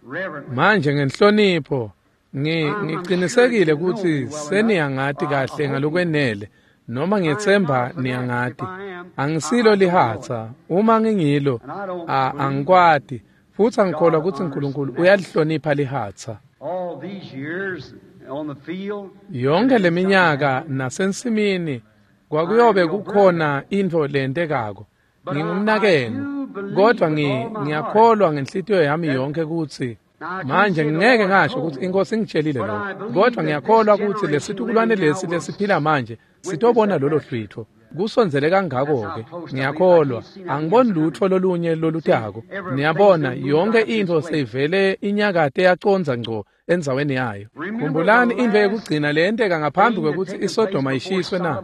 reverently, Manje ngenhlonipho I'm sure that ngiqinisekile you know kutsi me well enough, seniyangati or I kahle hope you do. ngalokwenele noma I am not ngiyetsemba a fanatic. If niyangati. I am, I, Angisilo I don't know it. lihatsa, uma ngingilo And I don't believe that angikwati futhi angikholwa God kutsi honors uNkulunkulu fanatics. uyalihlonipha lihatsa. All these years on the field, Yonke there'd been something leminyaka happening. nasensimini I am kwakuyobe your brother. kukhona intfo lentekako. But I Ngingumnakenu do believe kodwa with all my heart ngiyakholwa ngenhlitiyo yami that yonke kutsi now I can't manje say the ngingeke Lord ngasho told kutsi me, inkosi ingitshelile but lokho I believe kodwa that this ngiyakholwa kutsi generation lesitukulwane living now lesi will lesiphila manje witness sitobona that lolo rapture. hlwitho kusondzele That's how kangako-ke close I believe. I ngiyakholwa can't see nothing angiboni else lutho coming. lolunye See, lolutako everything's niyabona been moved yonke out of this intfo place. seyivele inyakate yacondza ngco endzaweni yayo. Khumbulani intfo yekugcina leyenteka ngaphambi kwekutsi iSodoma ishiswe na?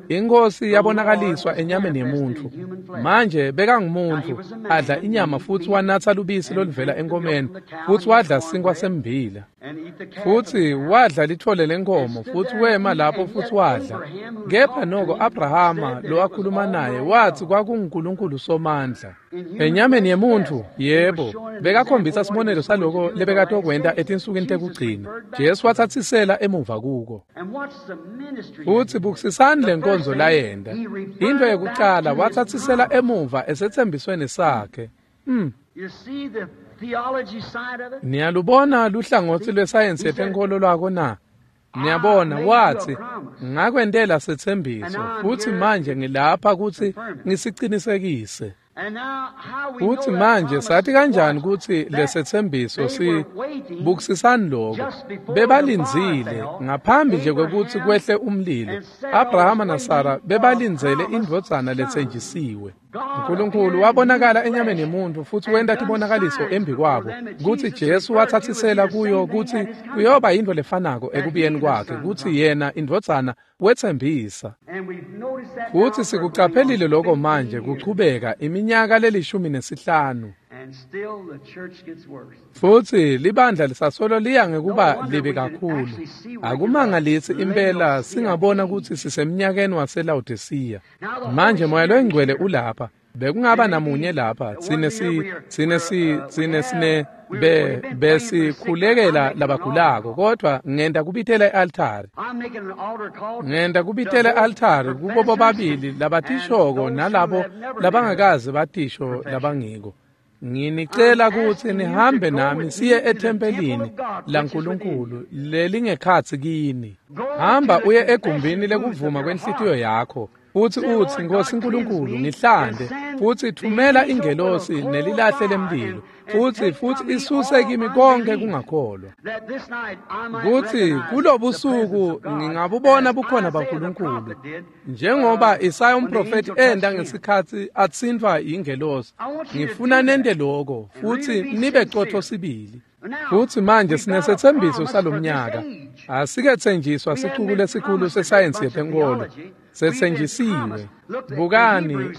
Inkosi yabonakaliswa enyameni yemuntfu. Manje bekangumuntu, adla inyama futsi wanatsa lubisi loluvela enkomeni, futsi wadla sinkwa semmbila. Futsi wadla litfole lenkhomo, futsi wema lapho futsi wadla. Kepha noko Abrahama lowakhuluma naye watsi kwakunguNkulunkulu Somandla. Enyameni yemuntfu, yebo, bekakhombisa sibonelo saloko lebekatokwenta etinsukwini tekugcina. Jesu watsatsisela emuva kuko. Futsi bukisisani lenkonzo layenta. Intfo yekucala watsatsisela emuva esetsembisweni sakhe. Niyalubona luhlangotsi lwesayensi yetenkholo lwako na? Niyabona, watsi, ngakwentela setsembiso, futsi manje ngilapha kutsi ngisicinisekise. Futsi manje sathi kanjani kutsi lesetsembiso si bukisisani lokho? Bebalindzile ngaphambi nje kwekutsi kwehle umlilo. Abrahama naSara bebalindzele indvodzana letsenjisiwe. uNkulunkulu wabonakala enyameni yemuntfu futsi wenta tibonakaliso embi kwabo kutsi Jesu watsatsisela kuyo kutsi kuyoba yintfo lefanako ekubuyeni kwakhe, kutsi yena indvodzana wetsembisa. Futsi sikucaphelile lokho manje kuchubeka iminyaka le15. Futsi libandla lisasolo liya ngekuba libi kakhulu. Akumangalisi impela singabona kutsi sisemnyakeni waseLawodisiya. Manje Moya loyiNgcwele ulapha. Bekungaba namunye lapha tsine sine besikhulekela labagulako, kodvwa ngenta kubitela e-altari. Ngenta kubitela e-altari kubo bobabili labatishoko nalabo labangakaze batisho labangiko. Nginicela kutsi nihambe nami siye ethempelini laNkulunkulu lelingekhatsi kini. Hamba uye egumbini lekuvuma kwenhlitiyo yakho, futsi utsi, Nkosi Nkulunkulu, ngihlante, futsi thumela ingelosi nelilahle lemlilo, futsi isuse kimi konke kungakholwa, kutsi kulobusuku ngingabubona bukhona baNkulunkulu, njengoba Isaya umprofethi enda ngesikhatsi atsintfwa yingelosi. Ngifuna nente lokho futsi nibe cotfo sibili. Futsi manje sinesetsembiso salomnyaka. Asiketsenjiswa sicuku lesikhulu sesayensi yetenkholo. Setsenjisiwe. Bukani,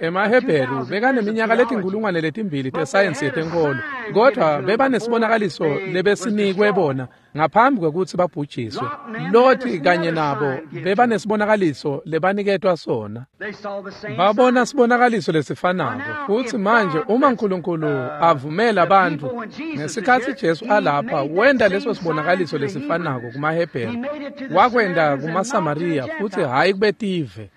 emaHebheru bekaneminyaka 2,000 tesayensi yetenkholo, kodvwa bebanesibonakaliso lebesinikwe bona ngaphambi kwekutsi babhujiswe. Loti kanye nabo bebanesibonakaliso lebaniketwa sona. Babona sibonakaliso lesifanako. Futsi manje uma uNkulunkulu avumela bantfu ngesikhatsi Jesu alapha, wenta leso sibonakaliso lesifanako kumaHebheru, wakwenta kumaSamariya, futsi hhayi kubetive.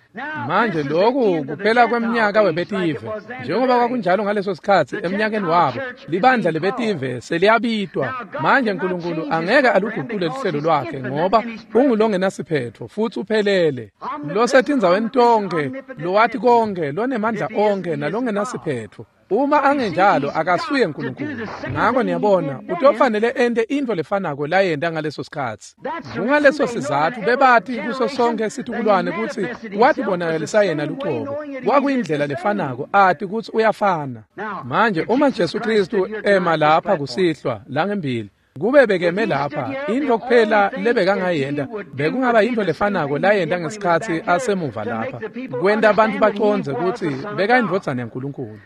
Manje lokhu kuphela kweminyaka webetive, njengoba kwakunjalo ngaleso sikhatsi emnyakeni wabo, libandla lebetive seliyabitwa. Manje uNkulunkulu angeke aluguqule luhlelo lwakhe, ngoba ungulongenasiphetho futsi uphelele, losetindzaweni tonke, lowati konke, lonemandla onke nalongenasiphetho. Uma angenjalo akasuye uNkulunkulu. Ngakho niyabona, utofanele ente intfo lefanako layenta ngaleso sikhatsi. Kungaleso sizatfu bebati kuso sonke situkulwane kutsi watibonakalisa yena lucobo. Kwakuyindlela lefanako, ati kutsi uyafana. Manje uma Jesu Kristu ema lapha kusihlwa langembili, kube bekeme lapha, intfo kuphela lebekangayenta bekungaba yintfo lefanako layenta ngesikhatsi asemuva lapha, kwenta bantfu bacondze kutsi bekayindvodzana yaNkulunkulu.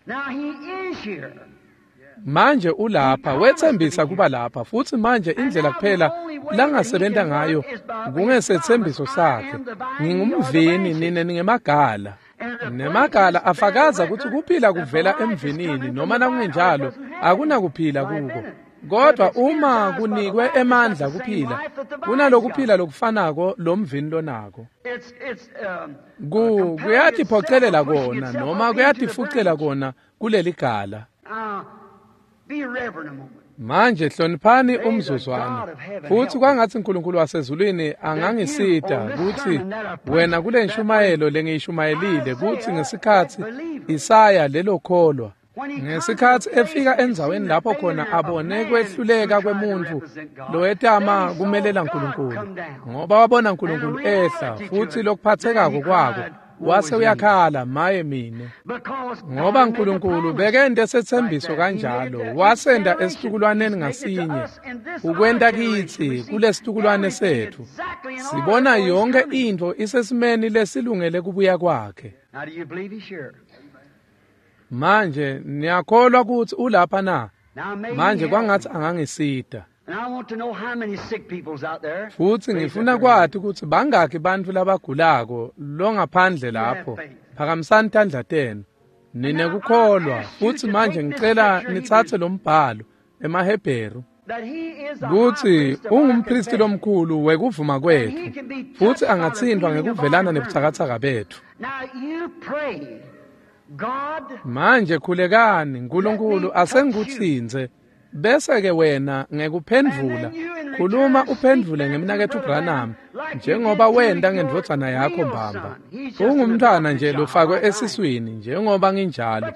Manje ulapha, wetsembisa kuba lapha, futsi manje indlela kuphela langasebenta ngayo kungesetsembiso sakhe. Ngingumvini, nine ningemagala. Nemagala afakaza kutsi kuphila kuvela emvinini, noma nakungenjalo akunakuphila kuko. Kodwa uma kunikwe emandla kuphila, kunalokuphila lokufanako lomvini lonako. Kuyatiphocelela kona noma kuyatifucela kona kuleligala. Manje hloniphani umzuzwana, futsi kwangatsi uNkulunkulu wasezulwini angangisita kutsi wena kule nshumayelo lengiyishumayelile, kutsi ngesikhatsi Isaya lelo kholwa, ngesikhatsi efika endzaweni lapho khona abone kwehluleka kwemuntfu lowetama kumelela uNkulunkulu, ngoba wabona uNkulunkulu ehla, futsi lokuphathekako kwako Wase uyakhala, maye mine. Ngoba uNkulunkulu bekente setsembiso kanjalo, wasenda esitukulwaneni ngasinye, ukwenta kitsi kulesitukulwane setfu. Sibona yonke intfo isesimeni lesilungele kubuya kwakhe. Manje niyakholwa kutsi ulapha na? Manje kwangatsi angangisita. Futsi ngifuna kwati kutsi bangaki bantfu labagulako longaphandle lapho. Phakamisani tandla tenu. Ninekukholwa. Futsi manje ngicela nitsatse lo mbhalo emaHebheru kutsi ungumphristi lomkhulu wekuvuma kwetfu, futsi angatsintfwa ngekuvelana nebutsakatsaka betfu. Manje khulekani, Nkulunkulu asengikutsintse, bese-ke wena ngekuphendvula khuluma uphendvule ngemnaketfu Branham njengoba wenta ngendvodzana yakho mbamba. Ungumntfwana nje lofakwe esiswini njengoba nginjalo,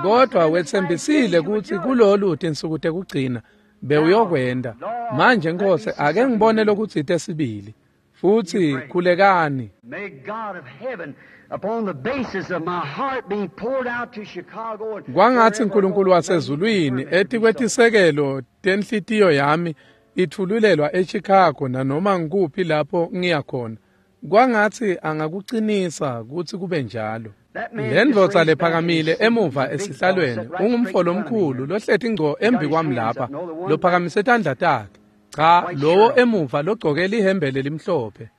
kodwa wetsembisile kutsi kulolu tinsuku tekugcina bewuyokwenta. Manje Nkosi, ake ngibone lokutsite sibili. Futsi khulekani. Kwangatsi uNkulunkulu wasezulwini etikwetisekelo tenhlitiyo yami itfululelwa eChicago nanoma ngikuphi lapho ngiya khona. Kwangatsi angakucinisa kutsi kube njalo. Le ndvodza lephakamile emuva esihlalweni ungumfo lomkhulu lohleti ngco embi kwami lapha, lophakamise tandla takhe. Cha, lowo emuva logcoke lihembe lelimhlophe.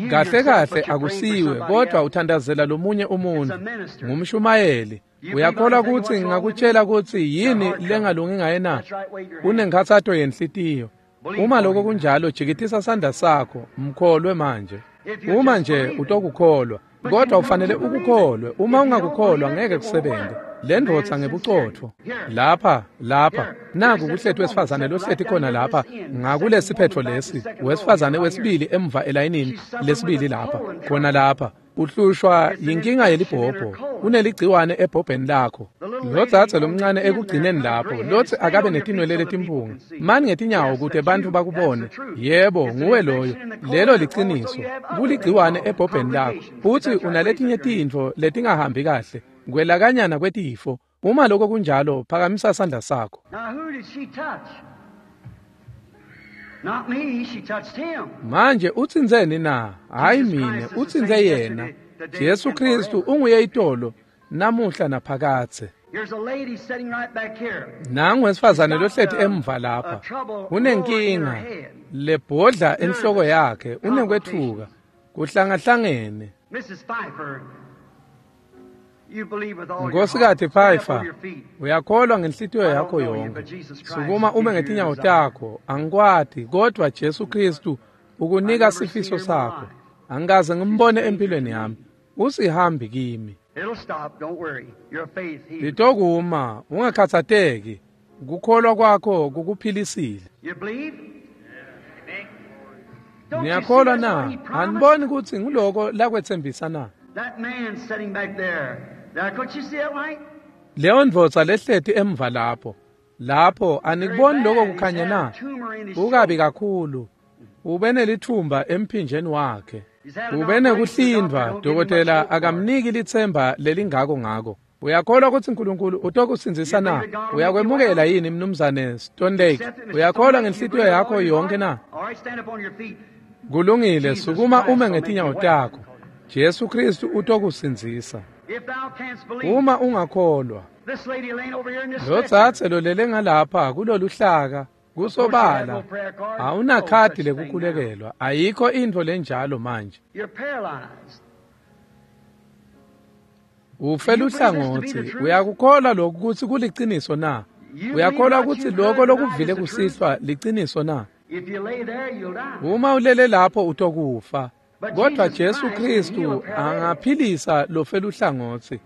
Kahle kahle akusiwe, kodwa uthandazela lomunye umuntu. Ngumshumayeli. Uyakholwa kutsi ngingakutshela kutsi yini lengalungi ngaye na? Unenkhatsato yenhlitiyo. Uma lokho kunjalo, jikitisa sandla sakho, mkholwe manje. Uma nje utokukholwa, kodwa ufanele ukukholwe. Uma ungakukholwa ngeke kusebenze. Le ndvodza ngebucotfo. Lapha, lapha, naku kuhleti wesifazane lohleti khona lapha, ngakulesiphetfo lesi, wesifazane wesibili emva elayinini lesibili lapha, khona lapha. Uhlushwa yinkinga yelibhobho, uneligciwane ebhobheni lakho. Lodzadze lomncane ekugcineni lapho, lotsi akabe netinwele letimpunga. Mani ngetinyawo kute bantfu bakubone. Yebo, nguwe loyo. Lelo liciniso. Kuligciwane ebhobheni lakho. Futsi unaletinye tintfo letingahambi kahle. Kwelakanyana kwetifo. Uma lokho kunjalo, phakamisa sandla sakho. Manje utsintseni na? Hayi mine, utsintse yena. Jesu Kristu unguye itolo, namuhla naphakadze. Nangu wesifazane lohleti emva lapha. Unenkinga lebhodla enhloko yakhe, unekwetfuka, kuhlangahlangene. Nkosikazi Pfeiffer, uyakholwa ngenhlitiyo yakho yonke. Sukuma ume ngetinyawo takho. Angikwati, kodwa Jesu Kristu ukunika sifiso sakho. Angikaze ngimbone empilweni yami. Usihambi kimi. Litokuma, ungakhatsateki. Kukholwa kwakho kukuphilisile. Niyakholwa na? Aniboni kutsi nguloko lakwetsembisa na? Leyo ndvodza lehleti emva lapho. Lapho anikuboni lokho kukhanya na? Kukabi kakhulu. Ube nelithumba emphinjeni wakhe. Ube nekuhlindvwa, dokotela akamniki litsemba lelingako ngako. Uyakholwa kutsi uNkulunkulu utokusindzisa na? Uyakwemukela yini mnumzane Stone Lake? Uyakholwa ngenhlitiyo yakho yonke na? Kulungile, sukuma ume ngetinyawo takho. Jesu Kristu utokusindzisa. Uma ungakholwa. Lodzadze lolele ngalapha kuloluhlaka kusobala awunakhadi lekukhulekelwa, ayikho intfo lenjalo manje. Ufe luhlangotsi. Uyakukholwa lokhu kutsi kuliciniso na? Uyakholwa kutsi lokho lokuvile kusihlwa liciniso na? Uma ulele lapho utokufa. Kodwa Jesu Kristu angaphilisa lofe luhlangotsi.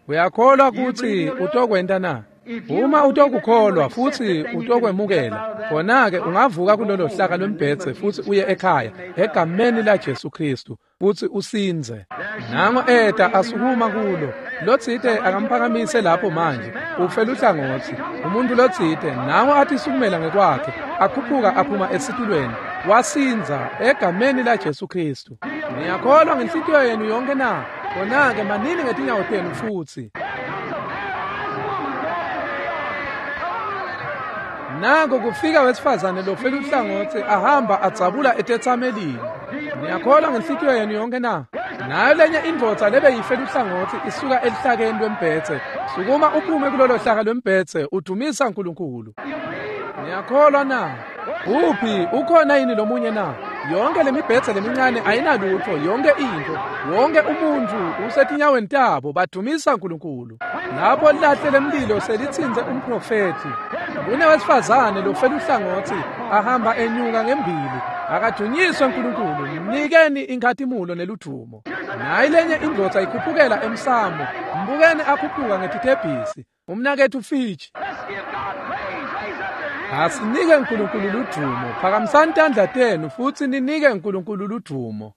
Uyakholwa kutsi utokwenta na? Uma utokukholwa futsi utokwemukela, khona-ke ungavuka kulolo hlaka lwembhedze futsi uye ekhaya egameni la Jesu Kristu futsi usindze. Nango eta asukuma kulo. Lotsite akamphakamise lapho manje. Ufe luhlangotsi. Umuntu lotsite nango athi sukumela ngekwakhe, akhuphuka aphuma esitulweni, wasindza egameni la Jesu Kristu. Niyakholwa ngenhlitiyo yenu yonke na? Khona-ke manini ngetinyawo tenu futsi. Nango kufika wesifazane lofela uhlangotsi ahamba adzabula etetsamelini. Niyakholwa ngenhlitiyo yenu yonke na? Nayo lenye indvodza lebeyifela uhlangotsi isuka elihlakeni lwembhedze. Sukuma uphume kulolo hlaka lwembhedze udumisa uNkulunkulu. Niyakholwa na? Uphi ukhona yini lomunye na? Yonke lemibhedze lemincane ayinalutfo, yonke intfo, wonke umuntfu usetinyaweni tabo badumisa uNkulunkulu. Lapho lilahle lemlilo selitsintse umprofethi. Kunewesifazane lofela uhlangotsi ahamba enyuka ngembili. Akadunyiswe uNkulunkulu, mnikeni inkhatimulo neludumo. Nayi lenye indvodza ikhuphukela emsamo, mbukeni akhuphuka ngetitebhisi. Umnaketfu Fitch. Let's give God praise. Raise up your hands. Asinike uNkulunkulu ludumo. Phakamisani tandla tenu futsi ninike uNkulunkulu ludumo.